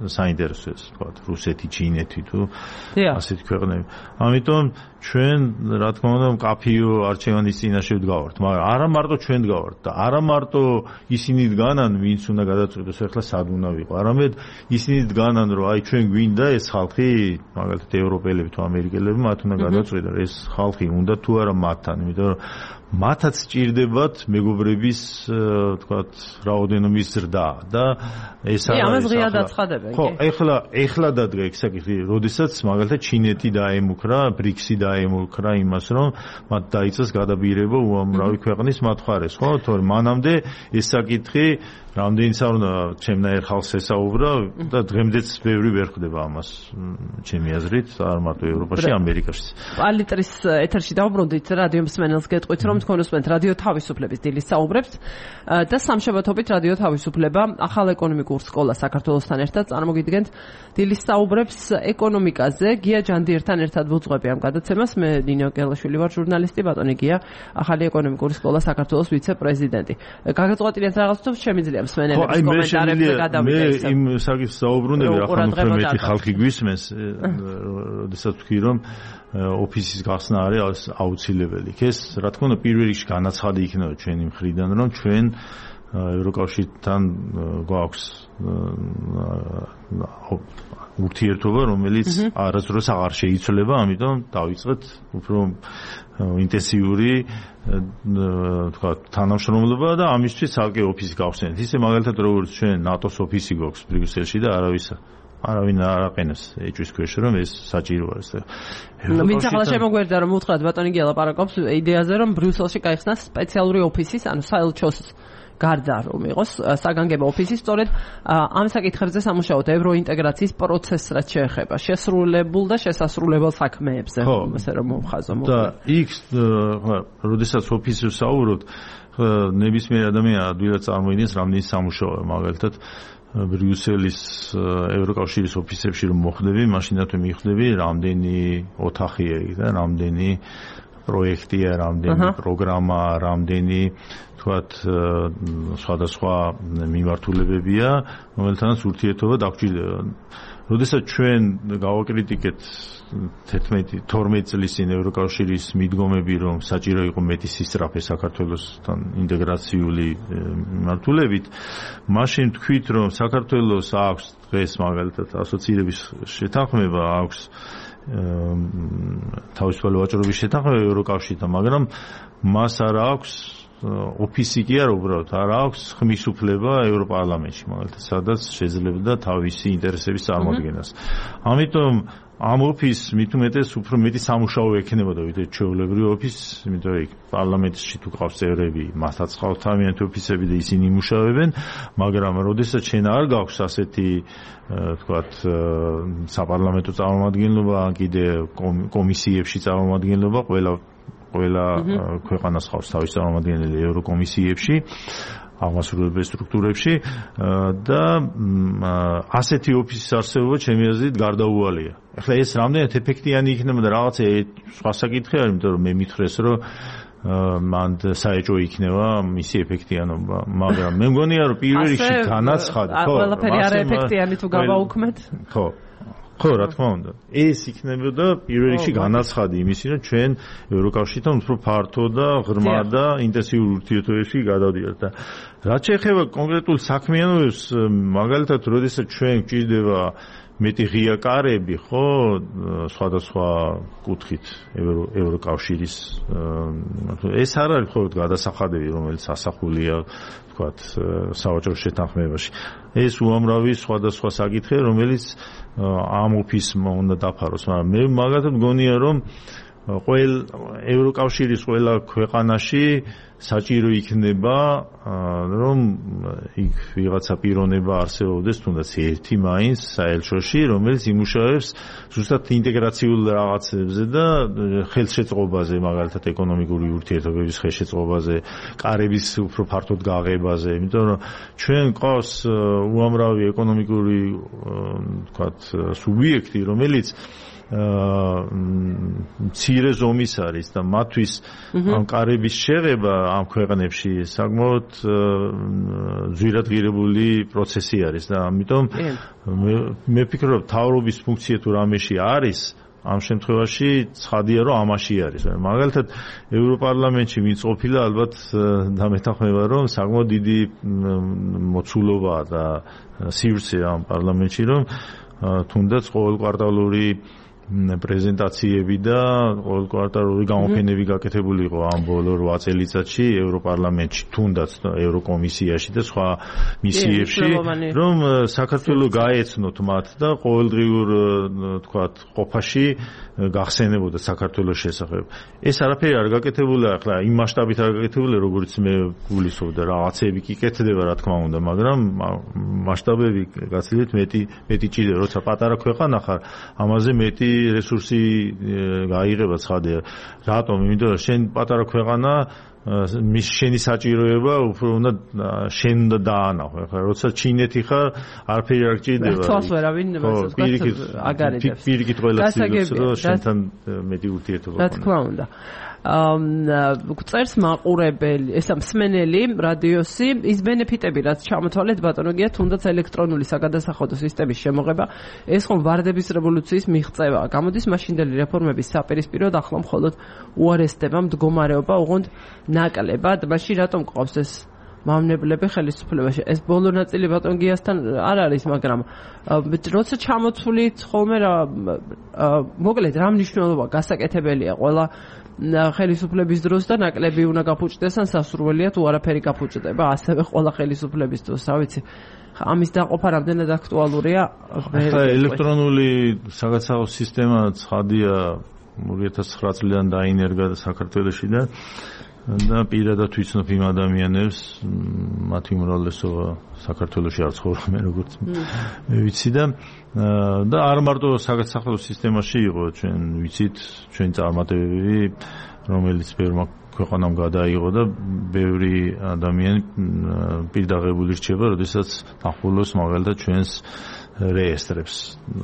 Speaker 2: საინტერესო ეს, თქვა, რუსეთი, ჩინეთი თუ ასეთი ქვეყნები. ამიტომ ჩვენ, რა თქმა უნდა, მკაფიო არჩევანის წინაშე ვდგავართ, მაგრამ არა მარტო ჩვენ ვდგავართ და არა მარტო ისინი დგანან, ვინც უნდა გადაწყვიტოს ახლა სად უნდა ვიყო, არამედ ისინი დგანან, რომ აი ჩვენ გვინდა ეს ხალხი, მაგალითად ევროპელები თუ ამერიკელები, მათ უნდა გადაწყვიტონ, ეს ხალხი უნდა თუ არა მათთან, იმიტომ რომ მათაც სჭირდებათ მეგობრების, თქვათ, რაოდენობის ზრდა და ეს არის.
Speaker 1: ამას ღია დაცხადებენ.
Speaker 2: ხო, ეხლა ეხლა დადგა ეს საკითხი, როდესაც მაგალითად ჩინეთი დაემუქრა, ბრიქსი დაემუქრა იმას, რომ მათ დაიწყეს გადაბირება უამრავი ქვეყნის მათ მხარეს, ხო? თორემ მანამდე ეს საკითხი რამდენიც არ უნდა ჩემნაირ ხალხს ესაუბრა და დღემდეც ბევრი ვერ ხდება ამას ჩემი აზრით, არ მარტო ევროპაში, ამერიკაშიც.
Speaker 1: პალიტრის ეთერში დავბრუნდით რადიო მსმენელს გეტყვით, რომ თქვენ უსმენთ რადიო თავისუფლების დილის საუბრებს და სამშაბათობით რადიო თავისუფლება ახალ ეკონომიკურ სკოლას საქართველოსთან ერთად წარმოგიდგენთ დილის საუბრებს ეკონომიკაზე. გია ჯანდიერთან ერთად ვუძღვები ამ გადაცემას. მე ნინო გელაშვილი ვარ, ჟურნალისტი, ბატონი გია, ახალი ეკონომიკური სკოლა საქართველოს ვიცე-პრეზიდენტი. გაგაწყვეტინეთ რაღაც თუ შემიძლია მსმენელების კომენტარებზე გადავიდეთ.
Speaker 2: მე იმ საკითხს საუბრუნები, ახლა უფრო მეტი ხალხი გვისმენს, როდესაც ვთქვი, რომ ოფისის გახსნა არის აუცილებელი. ეს რა თქმა უნდა პირველ რიგში განაცხადი იქნება ჩვენი მხრიდან, რომ ჩვენ ევროკავშირთან გვაქვს ურთიერთობა, რომელიც არასდროს აღარ შეიცვლება, ამიტომ დავიწყეთ უფრო ინტენსიური თქვა თანამშრომლობა და ამისთვის ცალკე ოფისი გავხსენეთ. ისე მაგალითად როგორც ჩვენ ნატოს ოფისი გვაქვს ბრიუსელში და არავის არავინ არ აყენებს ეჭვის ქვეშ, რომ ეს საჭირო არის.
Speaker 1: ვინც ახლა შემოგვერდა რომ უთხრათ ბატონი გია ლაპარაკობს იდეაზე, რომ ბრიუსელში გაიხსნას სპეციალური ოფისის, ანუ საელჩოს გარდა რომ იყოს საგანგებო ოფისი სწორედ ამ საკითხებზე სამუშაოთ ევროინტეგრაციის პროცესს რაც შეეხება შესრულებულ და შესასრულებელ საქმეებზე ასე რომ მომხაზო
Speaker 2: და იქ როდესაც ოფისზე საუბრობთ ნებისმიერ ადამიანს ადვილად წარმოიდგენს რამდენი სამუშაოა მაგალითად ბრიუსელის ევროკავშირის ოფისებში რომ მოხდები მაშინათვე მიხვდები რამდენი ოთახია იქ და რამდენი პროექტია, რამდენი პროგრამა, რამდენი თქვათ სხვადასხვა მიმართულებებია, რომელთანაც ურთიერთობა დაგჭირდება. როდესაც ჩვენ გავაკრიტიკეთ თერთმეტი თორმეტ წლის წინ ევროკავშირის მიდგომები, რომ საჭირო იყო მეტი სისწრაფე საქართველოსთან ინტეგრაციული მიმართულებით, მაშინ თქვით, რომ საქართველოს აქვს დღეს მაგალითად ასოცირების შეთანხმება, აქვს თავისუფალი ვაჭრობის შეთანხმება ევროკავშირთან, მაგრამ მას არ აქვს ოფისი კი არა უბრალოდ, არ აქვს ხმის უფლება ევროპარლამენტში, მაგალითად, სადაც შეძლებდა თავისი ინტერესების წარმოადგენას. ამიტომ ამ ოფისს მით უმეტეს უფრო მეტი სამუშაო ექნებოდა ვიდრე ჩვეულებრივი ოფისს, იმიტომ რომ პარლამენტში თუ ყავს წევრები, მათაც ყავს თავიანთი ოფისები და ისინი იმუშავებენ, მაგრამ როდესაც შენ არ გაქვს ასეთი თქვათ საპარლამენტო წარმომადგენლობა, კიდე კომისიებში წარმომადგენლობა, ყველა ყველა ქვეყანას ყავს თავის წარმომადგენელი ევროკომისიებში, აღმასრულებელ სტრუქტურებში და ასეთი ოფისის არსებობა ჩემი აზრით გარდაუვალია. ახლა ეს რამდენად ეფექტიანი იქნება და რაღაცა სხვა საკითხი არის, იმიტომ რომ მე მითხრეს, რომ მან საეჭვო იქნება მისი ეფექტიანობა, მაგრამ მე მგონია რომ პირველ რიგში განაცხადი,
Speaker 1: ხო, ყველაფერი არ ეფექტიანი თუ გავაუქმეთ.
Speaker 2: ხო. ხო, რა თქმა უნდა. ეს იქნებოდა პირველ რიგში განაცხადი იმისი, რომ ჩვენ ევროკავშირთან უფრო ფართო და ღრმა და ინტენსიურ ურთიერთობებში გადავდივართ და რაც შეეხება კონკრეტულ საქმიანობებს, მაგალითად, როდესაც ჩვენ გვჭირდება მეტი ღია კარები, ხო, სხვადასხვა კუთხით ევროკავშირის ეს არ არის მხოლოდ გადასახადები, რომელიც ასახულია, თქვათ, სავაჭრო შეთანხმებაში. ეს უამრავი სხვადასხვა საკითხია, რომელიც ამ ოფისმა უნდა დაფაროს, მაგრამ მე მაგათად მგონია, რომ ყოველ ევროკავშირის ყველა ქვეყანაში საჭირო იქნება, რომ იქ ვიღაცა პიროვნება არსებობდეს, თუნდაც ერთი მაინც საელჩოში, რომელიც იმუშავებს ზუსტად ინტეგრაციულ რაღაცებზე და ხელშეწყობაზე, მაგალითად ეკონომიკური ურთიერთობების ხელშეწყობაზე, კარების უფრო ფართოდ გაღებაზე, იმიტომ რომ ჩვენ ყავს უამრავი ეკონომიკური, თქვათ, სუბიექტი, რომელიც მცირე ზომის არის და მათთვის ამ კარების შეღება ამ ქვეყნებში საკმაოდ ძვირადღირებული პროცესი არის და ამიტომ მე ვფიქრობ, თავრობის ფუნქცია თუ რამეში არის, ამ შემთხვევაში ცხადია, რომ ამაში არის. მაგალითად, ევროპარლამენტში ვინც ყოფილა, ალბათ დამეთანხმება, რომ საკმაოდ დიდი მოცულობაა და სივრცე ამ პარლამენტში, რომ თუნდაც ყოველკვარტალური პრეზენტაციები და ყოველკვარტალური გამოფენები გაკეთებული იყო ამ ბოლო რვა წელიწადში ევროპარლამენტში, თუნდაც ევროკომისიაში და სხვა მისიებში, რომ საქართველო გაეცნოთ მათ და ყოველდღიურ, თქვათ, ყოფაში გახსენებოდა საქართველოს შესახებ. ეს არაფერი არ გაკეთებულა, ახლა იმ მასშტაბით არ გაკეთებულა, როგორც მე გულისხმობ და რაღაცები კი კეთდება, რა თქმა უნდა, მაგრამ მასშტაბები გაცილებით მეტი მეტი ჭირდება, როცა პატარა ქვეყანა ხარ, ამაზე მეტი რესურსი გაიღება ცხადია. რატომ? იმიტომ რომ შენ პატარა ქვეყანა მის შენი საჭიროება უფრო უნდა შენ უნდა დაანახო. ახლა როცა ჩინეთი ხარ, არაფერი არ გჭირდება.
Speaker 1: თვალს ვერავინ აგარებს.
Speaker 2: პირიქით ყველა ცდილობს, რომ შენთან მეტი ურთიერთობა
Speaker 1: გქონდეს. რა თქმა უნდა. წერს მაყურებელი, ესა მსმენელი რადიოსი, ის ბენეფიტები, რაც ჩამოთვალეთ ბატონო გია, თუნდაც ელექტრონული საგადასახადო სისტემის შემოღება, ეს ხომ ვარდების რევოლუციის მიღწევაა. გამოდის მაშინდელი რეფორმების საპირისპიროდ, ახლა მხოლოდ უარესდება მდგომარეობა, უღონდ ნაკლებად, მაშინ რატომ ყავს ეს მავნებლები ხელისუფლებაში? ეს ბოლო ნაწილი ბატონ გიასთან არ არის, მაგრამ როცა ჩამოთვლით ხოლმე რა მოკლედ რა მნიშვნელობა გასაკეთებელია ყველა ხელისუფლების დროს და ნაკლები უნდა გაფუჭდეს ან სასურველია თუ არაფერი გაფუჭდება, ასევე ყველა ხელისუფლების დროს, რა ვიცი. ამის დაყოფა რამდენად აქტუალურია?
Speaker 2: ახლა ელექტრონული საგადასახადო სისტემა ცხადია ორი ათას ცხრა წლიდან დაინერგა საქართველოში და და პირადად ვიცნობ იმ ადამიანებს, მათი უმრავლესობა საქართველოში არ ცხოვრობენ, როგორც მე ვიცი და და არ მარტო საქართველოს სისტემაში იყო, ჩვენ ვიცით, ჩვენ წარმატებები, რომელიც ბევრმა ქვეყანამ გადაიღო და ბევრი ადამიანი პირდაღებული რჩება, როდესაც ახულოს მაგალითად ჩვენს რეესტრებს,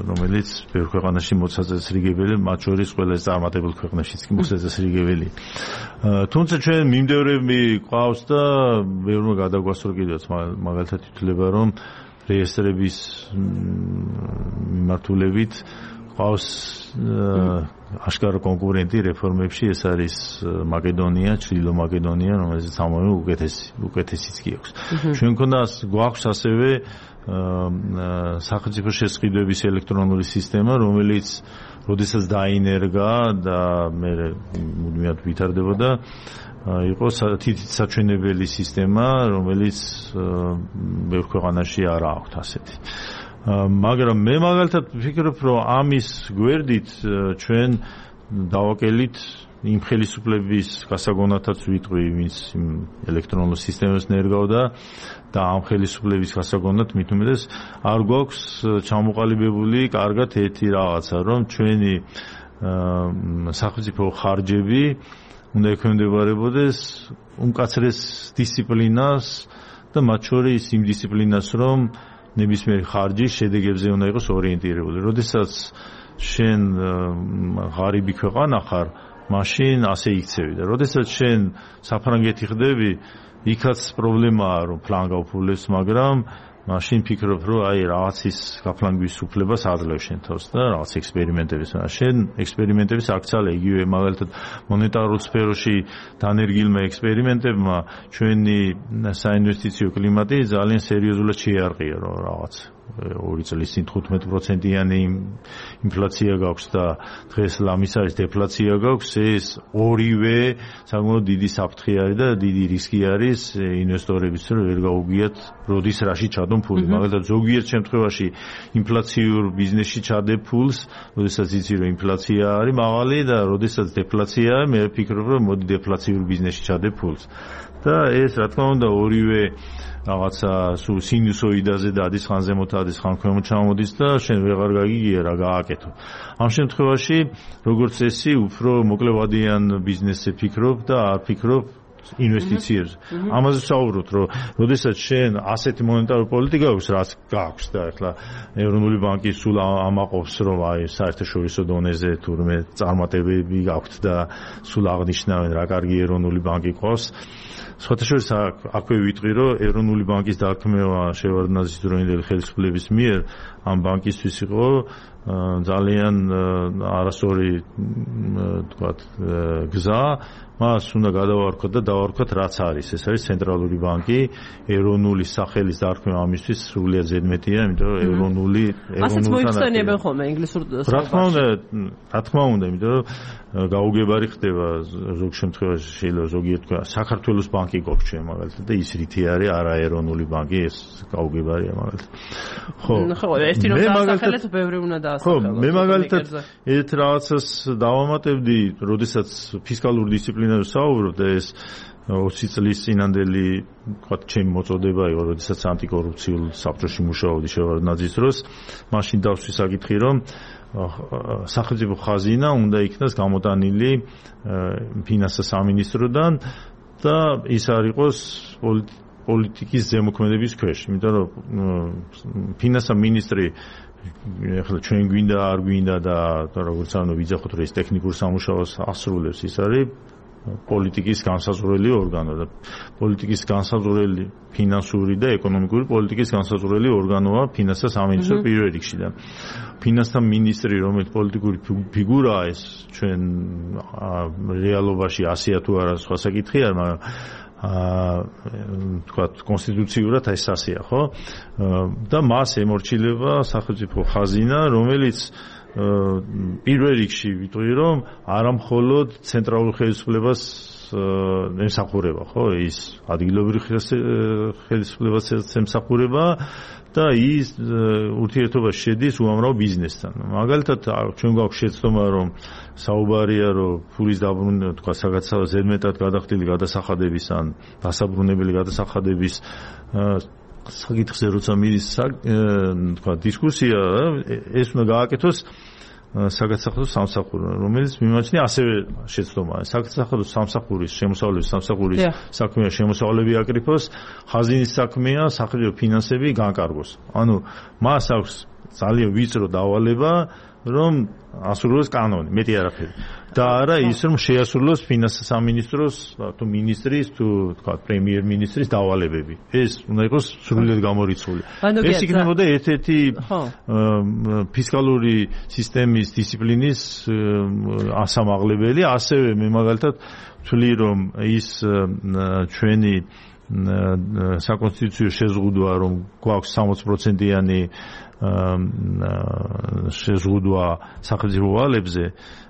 Speaker 2: რომელიც ბევრ ქვეყანაში მოწესრიგებელი, მათ შორის ყველა წარმატებულ ქვეყნაშიც კი მოწესრიგებელი. თუმცა ჩვენ მიმდევრები ყავს და ბევრმა გადაგვასწრო კიდევაც მაგალითად ითვლება, რომ რეესტრების მიმართულებით ყავს აშკარა კონკურენტი რეფორმებში, ეს არის მაკედონია, ჩრდილო მაკედონია, რომელიც ამავე უკეთესი, უკეთესიც კი აქვს. ჩვენ მქონდა გვაქვს ასევე სახელმწიფო შესყიდვების ელექტრონული სისტემა, რომელიც როდესაც დაინერგა და მე მუდმივად ვითარდებოდა, იყო თითით საჩვენებელი სისტემა, რომელიც ბევრ ქვეყანაში არ აქვს ასეთი. მაგრამ მე მაგალითად ვფიქრობ, რომ ამის გვერდით ჩვენ დავაკელით იმ ხელისუფლების გასაგონათაც ვიტყვი, ვინც ელექტრონულ სისტემას ნერგავდა და ამ ხელისუფლების გასაგონად მით უმეტეს არ გვაქვს ჩამოყალიბებული კარგად ერთი რაღაცა, რომ ჩვენი სახელმწიფო ხარჯები უნდა ექვემდებარებოდეს უმკაცრეს დისციპლინას და მათ შორის იმ დისციპლინას, რომ ნებისმიერი ხარჯი შედეგებზე უნდა იყოს ორიენტირებული. როდესაც შენ ღარიბი ქვეყანა ხარ, მაშინ ასე იქცევი და როდესაც შენ საფრანგეთი ხდები, იქაც პრობლემაა, რომ ფლანგ გაუფულებს, მაგრამ მაშინ ფიქრობ, რომ აი რაღაცის გაფლანგვის უფლებას აძლევ შენ თავს და რაღაც ექსპერიმენტების. შენ ექსპერიმენტების აქცია იგივე მაგალითად მონეტარულ სფეროში დანერგილმა ექსპერიმენტებმა ჩვენი საინვესტიციო კლიმატი ძალიან სერიოზულად შეარყია, რომ რაღაც ორი წლის წინ თხუთმეტ პროცენტიანი ინფლაცია გაქვს და დღეს ლამის არის დეფლაცია გაქვს, ეს ორივე საკმაოდ დიდი საფრთხე არის და დიდი რისკი არის ინვესტორების, რომ ვერ გაუგიათ როდის რაში ჩადონ ფული. მაგალითად ზოგიერთ შემთხვევაში ინფლაციურ ბიზნესში ჩადე ფულს, როდესაც იცი რომ ინფლაცია არის მაღალი და როდესაც დეფლაციაა, მე ვფიქრობ, რომ მოდი დეფლაციურ ბიზნესში ჩადე ფულს. და ეს რა თქმა უნდა ორივე რაღაცა სულ სინუსოიდაზე და ადის ხან ზემოთ ადის ხან ქვემოთ ჩამოდის და შენ ვეღარ გაგიგია რა გააკეთო. ამ შემთხვევაში როგორც წესი უფრო მოკლევადიან ბიზნესზე ფიქრობ და არ ფიქრობ ინვესტიციებზე. ამაზე ვსაუბრობთ, რომ როდესაც შენ ასეთი მონეტარული პოლიტიკა აქვს, რაც გაქვს და ახლა ეროვნული ბანკი სულ ამაყობს, რომ აი საერთაშორისო დონეზე თურმე წარმატებები გაქვთ და სულ აღნიშნავენ რა კარგი ეროვნული ბანკი ყავს. სხვათაშორის აქვე ვიტყვი, რომ ეროვნული ბანკის დაქმევა შევარდნაძის დროინდელი ხელისუფლების მიერ ამ ბანკისთვის იყო ძალიან არასწორი თქვათ გზა, მას უნდა გადავარქვათ და დავარქვათ რაც არის. ეს არის ცენტრალური ბანკი, ეროვნული სახელის დარქმევა ამისთვის სრულიად ზედმეტია, იმიტომ რომ ეროვნული
Speaker 1: ასეც მოიხსენიებენ ხოლმე ინგლისურ
Speaker 2: სახალხოში. რა თქმა უნდა, რა თქმა უნდა, იმიტომ რომ გაუგებარი ხდება ზოგ შემთხვევაში შეიძლება ზოგიერთ საქართველოს ბანკი გვაქვს ჩვენ მაგალითად და ის რითი არის არაეროვნული ბანკი, ეს გაუგებარია მაგალითად. ხო,
Speaker 1: ხო, ერთი რომ დაასახელეთ, ბევრი უნდა დაასახელოთ.
Speaker 2: ხო, მე მაგალითად ერთ რაღაცას დავამატებდი, როდესაც ფისკალური დისციპლინაზე ვსაუბრობ და ეს ოცი წლის წინანდელი თქვათ ჩემი მოწოდება იყო, როდესაც ანტიკორუფციულ საბჭოში მუშაობდი შევარდნაძის დროს, მაშინ დავსვი საკითხი, რომ სახელმწიფო ხაზინა უნდა იქნას გამოტანილი ფინანსთა სამინისტროდან და ის არ იყოს პოლიტიკის ზემოქმედების ქვეშ, იმიტომ რომ ფინანსთა მინისტრი ახლა ჩვენ გვინდა არ გვინდა და როგორც ანუ ვიძახოთ რომ ეს ტექნიკურ სამუშაოს ასრულებს, ის არის პოლიტიკის განსაზღვრელი ორგანო და პოლიტიკის განსაზღვრელი ფინანსური და ეკონომიკური პოლიტიკის განსაზღვრელი ორგანოა ფინანსთა სამინისტრო პირველ რიგში და ფინანსთა მინისტრი, რომელიც პოლიტიკური ფიგურაა, ეს ჩვენ რეალობაში ასეა თუ არა სხვა საკითხი არ, მაგრამ აა თქვათ კონსტიტუციურად ეს ასეა, ხო? და მას ემორჩილება სახელმწიფო ხაზინა, რომელიც პირველ რიგში ვიტყვი, რომ არა მხოლოდ ცენტრალურ ხელისუფლებას ემსახურება, ხო, ის ადგილობრივ ხელისუფლებას ემსახურება და ის ურთიერთობაში შედის უამრავ ბიზნესთან. მაგალითად, ჩვენ გვაქვს შეცდომა, რომ საუბარია, რომ ფულის დაბრუნება, თქვა, საგაცავ ზედმეტად გადახდილი გადასახადების ან დასაბრუნებელი გადასახადების საკითხზე როცა მიდის, თქვა, დისკუსია, ეს უნდა გააკეთოს საგაცახადო სამსახური, რომელიც მიმაჩნია ასევე შეცდომაა. საგაცახადო სამსახურის შემოსავლების სამსახურის საქმეა შემოსავლები აკრიფოს, ხაზინის საქმეა სახელმწიფო ფინანსები განკარგოს. ანუ მას აქვს ძალიან ვიწრო დავალება, რომ ასრულოს კანონი, მეტი არაფერი. და არა ის, რომ შეასრულოს ფინანსთა სამინისტროს თუ მინისტრის თუ თქვა პრემიერ-მინისტრის დავალებები. ეს უნდა იყოს სრულიად გამორიცხული. ეს იქნებოდა ერთ-ერთი ფისკალური სისტემის დისციპლინის ასამაღლებელი, ასევე მე მაგალითად ვთვლი, რომ ის ჩვენი საკონსტიტუციო შეზღუდვა, რომ გვაქვს სამოცი პროცენტიანი შეზღუდვა სახელმწიფო ვალებზე,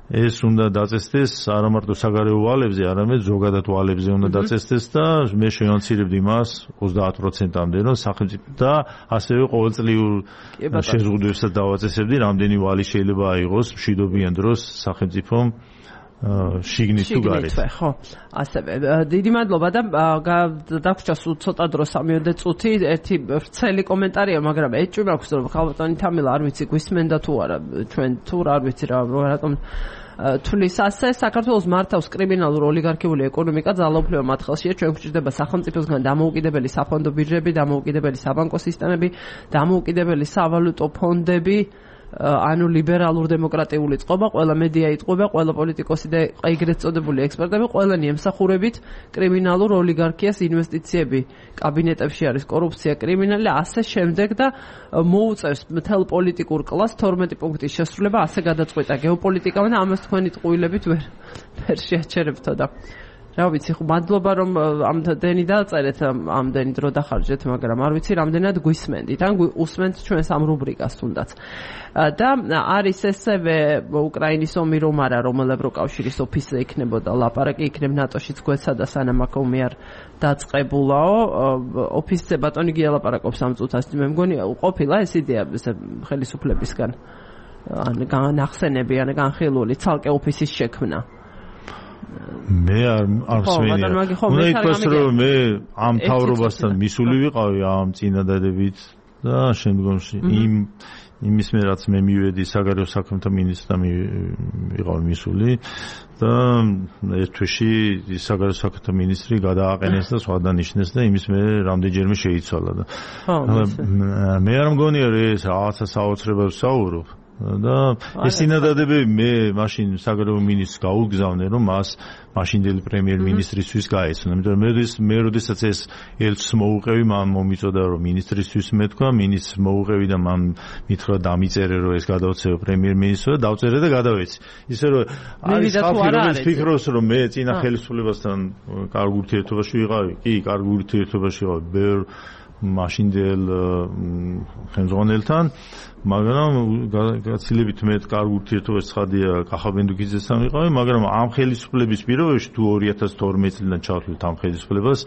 Speaker 2: ეს უნდა დაწესდეს არა მარტო საგარეო ვალებზე, არამედ ზოგადად ვალებზე უნდა დაწესდეს და მე შევამცირებდი მას ოცდაათ პროცენტამდე, რომ სახელმწიფო და ასევე ყოველწლიურ შეზღუდვებსაც დავაწესებდი, რამდენი ვალი შეიძლება აიღოს მშვიდობიან დროს სახელმწიფომ შიგნით თუ გარეთ.
Speaker 1: ხო, ასევე დიდი მადლობა და დაგვრჩა სულ ცოტა დრო სამიოდე წუთი, ერთი ვრცელი კომენტარია, მაგრამ ეჭვი მაქვს, რომ ხალბატონი თამილა არ ვიცი გვისმენდა თუ არა, ჩვენ თუ არ ვიცი რა, რატომ თulis ასე საქართველოს მართავს კრიმინალურ ოლიგარქიული ეკონომიკა, ძალაუფლება მათ ხელშია, ჩვენ გვჭირდება სახელმწიფოსგან დამოუკიდებელი საფონდო ბირჟები, დამოუკიდებელი საბანკო სისტემები, დამოუკიდებელი სავალუტო ფონდები, ანუ ლიბერალურ დემოკრატიული წყობა, ყველა მედია იტყვება, ყველა პოლიტიკოსი და ეგრეთ წოდებული ექსპერტები, ყველანი ემსახურებით კრიმინალურ ოლიგარქიას, ინვესტიციები კაბინეტებში არის კორუფცია, კრიმინალი, ასე შემდეგ და მოუწევს მთელ პოლიტიკურ კლასს თორმეტი პუნქტის შესრულება, ასე გადაწყვეტა გეოპოლიტიკამ და ამას თქვენი ტყუილებით ვერ ვერ შეაჩერებთო და რა ვიცი, ხო, მადლობა რომ ამდენი დაწერეთ, ამდენი დრო დახარჯეთ, მაგრამ არ ვიცი რამდენად გვისმენდით, ან უსმენთ ჩვენს ამ რუბრიკას თუნდაც. და არის ესევე უკრაინის ომი რომ არა, რომელ ევროკავშირის ოფისზე იქნებოდა ლაპარაკი, იქნებ ნატოშიც გვეცადა სანამ აქ ომი არ დაწყებულაო, ოფისზე ბატონი გია ლაპარაკობს ამ წუთას, მე მგონი ყოფილა ეს იდეა ხელისუფლებისგან, ან განახსენები, ან განხილული ცალკე ოფისის შექმნა.
Speaker 2: მე არ არ მსმენია. უნდა ითქვას, რომ მე ამ თავრობასთან მისული ვიყავი ამ წინადადებით და შემდგომში იმ იმის მე რაც მე მივედი საგარეო საქმეთა მინისტრთან ვიყავი მისული და ერთ თვეში საგარეო საქმეთა მინისტრი გადააყენეს და სხვა დანიშნეს და იმის მე რამდენჯერმე შეიცვალა და მე არ მგონია რომ ეს რაღაცა საოცრებას ვსაუბრობ. და ეს წინადადებები მე მაშინ საგარეო მინისტრს გაუგზავნე, რომ მას მაშინდელი პრემიერ-მინისტრისთვის გაეცნო. იმიტომ რომ მე მე როდესაც ეს ელჩს მოუყევი, მან მომიწოდა რომ მინისტრისთვის მეთქვა, მინისტრს მოუყევი და მან მითხრა დამიწერე რომ ეს გადავწევ პრემიერ-მინისტრს და დავწერე და გადავეცი. ისე რომ არის ხალხი რომელიც ფიქრობს რომ მე წინა ხელისუფლებასთან კარგ ურთიერთობაში ვიყავი, კი, კარგ ურთიერთობაში ვიყავი ბევრ მაშინდელ ხელმძღვანელთან, მაგრამ გაცილებით მეტ კარგ ურთიერთობაში ცხადია კახაბენდუკიძესთან ვიყავი, მაგრამ ამ ხელისუფლების პირობებში თუ ორი ათას თორმეტი წლიდან ჩავთვლით ამ ხელისუფლებას,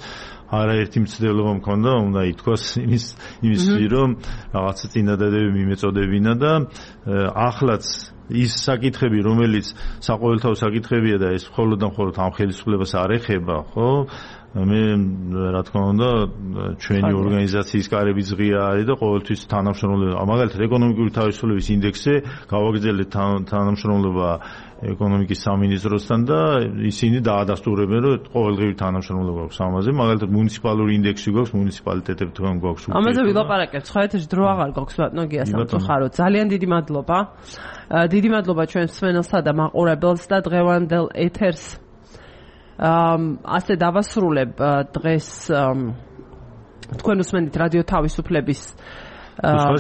Speaker 2: არაერთი მცდელობა მქონდა, უნდა ითქვას იმის იმის რომ რაღაცა წინადადებები მიმეწოდებინა და ახლაც ის საკითხები, რომელიც საყოველთაო საკითხებია და ეს მხოლოდ და მხოლოდ ამ ხელისუფლებას არ ეხება, ხო? მე რა თქმა უნდა ჩვენი ორგანიზაციის კარები ზღია არის და ყოველთვის თანამშრომლობა, მაგალითად ეკონომიკური თავისუფლების ინდექსზე გავაგრძელეთ თანამშრომლობა ეკონომიკის სამინისტროსთან და ისინი დაადასტურებენ, რომ ყოველდღიური თანამშრომლობა გვაქვს ამაზე, მაგალითად მუნიციპალური ინდექსი გვაქვს, მუნიციპალიტეტებთან გვაქვს.
Speaker 1: ამაზე ვილაპარაკებთ, სხვა ეთერში დრო აღარ გვაქვს ბატონო გია სამწუხაროდ. ძალიან დიდი მადლობა. დიდი მადლობა ჩვენს მსმენელსა და მაყურებელს და დღევანდელ ეთერს ასე დავასრულებ დღეს თქვენ უსმენთ რადიო თავისუფლების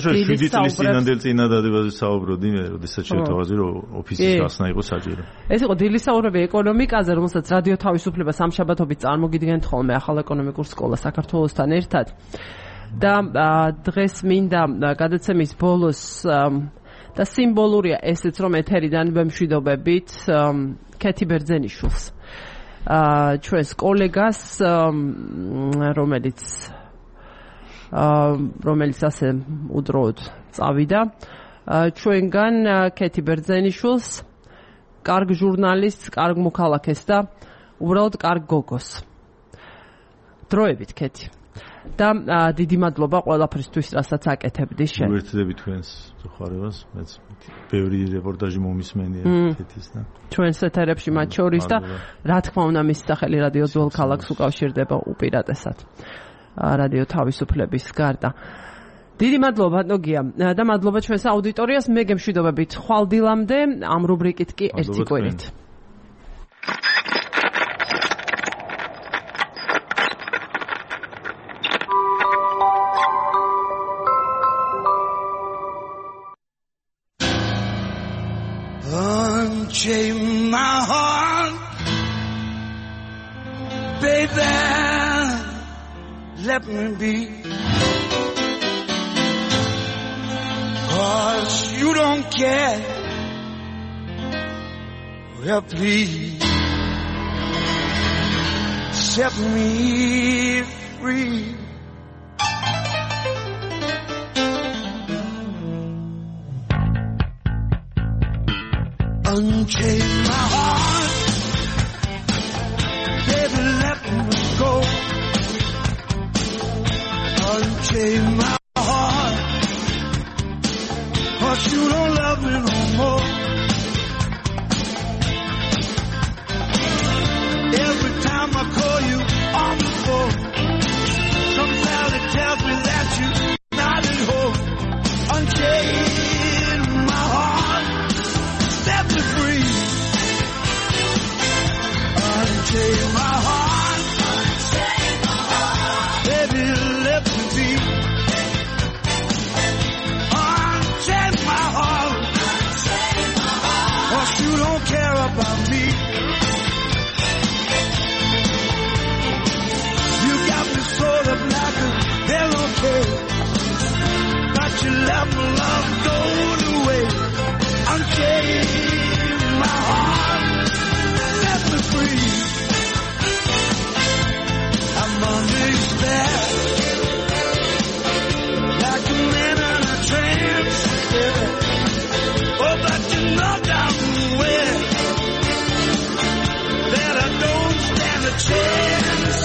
Speaker 2: შვიდი წლის წინანდელ წინადადებაზე საუბრობდი მე, როდესაც შევთავაზე რომ ოფისის გახსნა იყო საჭირო. ეს იყო
Speaker 1: დილის საუბრები ეკონომიკაზე, რომელსაც რადიო თავისუფლება სამშაბათობით წარმოგიდგენთ ხოლმე ახალ ეკონომიკურ სკოლას საქართველოსთან ერთად. და დღეს მინდა გადაცემის ბოლოს და სიმბოლურია ესეც რომ ეთერიდან ვემშვიდობებით ქეთი ბერძენიშვილს. ჩვენს კოლეგას რომელიც რომელიც ასე უდროოდ წავიდა ჩვენგან კეთი ბერძენიშვილს კარგ ჟურნალისტს, კარგ მოქალაქეს და უბრალოდ კარგ გოგოს. დროებით კეთი. და დიდი მადლობა ყველაფრისთვის, რასაც აკეთებდი შენ.
Speaker 2: ვერთდები თქვენს ხარებას, მეც ბევრი რეპორტაჟი მომისმენია კეთის და
Speaker 1: ჩვენს ეთერებში მათ შორის და რა თქმა უნდა მის სახელი რადიო ძველ ქალაქს უკავშირდება უპირატესად. რადიო თავისუფლების გარდა. დიდი მადლობა ბატონო და მადლობა ჩვენს აუდიტორიას. მე გემშვიდობებით ხვალ დილამდე ამ რუბრიკით კი ერთი კვირით.
Speaker 3: Unchain my heart, baby, let me be. Cause you don't care. Well, please set me free. Unchain my heart, baby, let me go. Unchain my heart, cause you don't love me no more. Every time I call you on the phone, sometimes it tells me that you're not at home. Unchain my heart, set me free. Unchain my heart, unchain my heart, baby, let me be. Unchain my heart, unchain my heart, cause you don't care about me. You got me sort of like a hurricane, but you let my love go to waste. Unchain my heart, set me free. I'm under your spell, like a man in a trance. Yeah. Oh, but you know damn well that I don't stand a chance.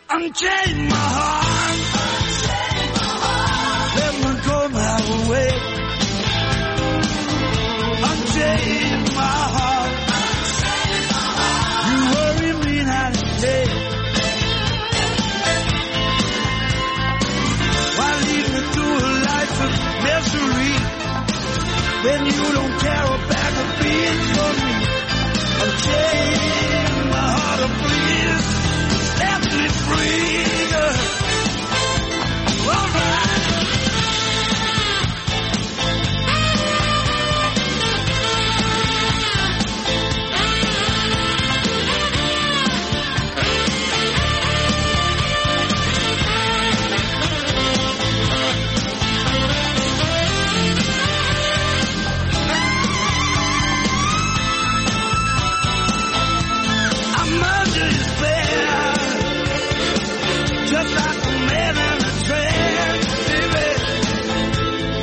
Speaker 3: Unchain my heart, unchain my heart, let me go my way. Unchain my heart, unchain my heart, you worry me night and day. Why lead me through a life of misery when you don't care a bag of beans for me? Unchain my heart, oh please, set me free. All right. I'm under your spell, just like a man in a trance, baby.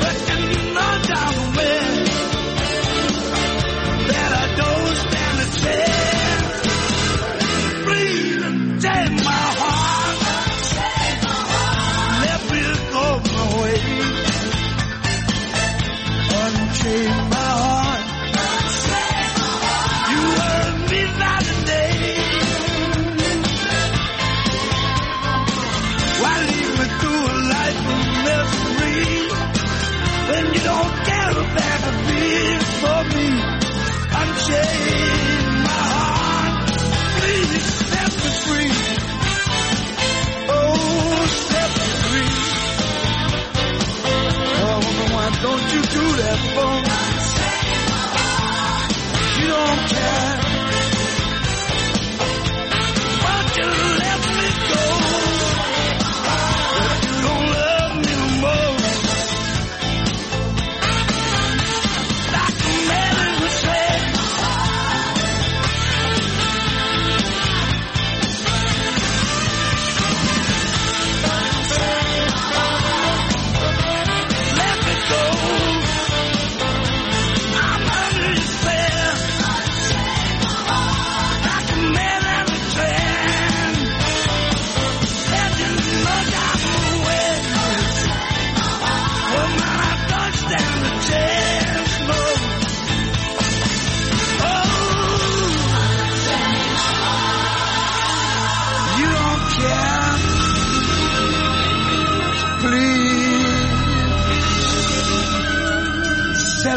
Speaker 3: But you know down the way that I don't stand a chance. Please unchain my heart, unchain my heart, let me go my way. Unchain my heart, unchain my heart, you hurt me night and day. Why lead me through a life of misery when you don't care a bag of beans for me? Unchain my heart, please set me free. Oh, set me free. Oh, why don't you do that for me? You don't care. Why don't you let me go? You don't love me no more. Like a man in a trance.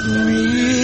Speaker 3: me.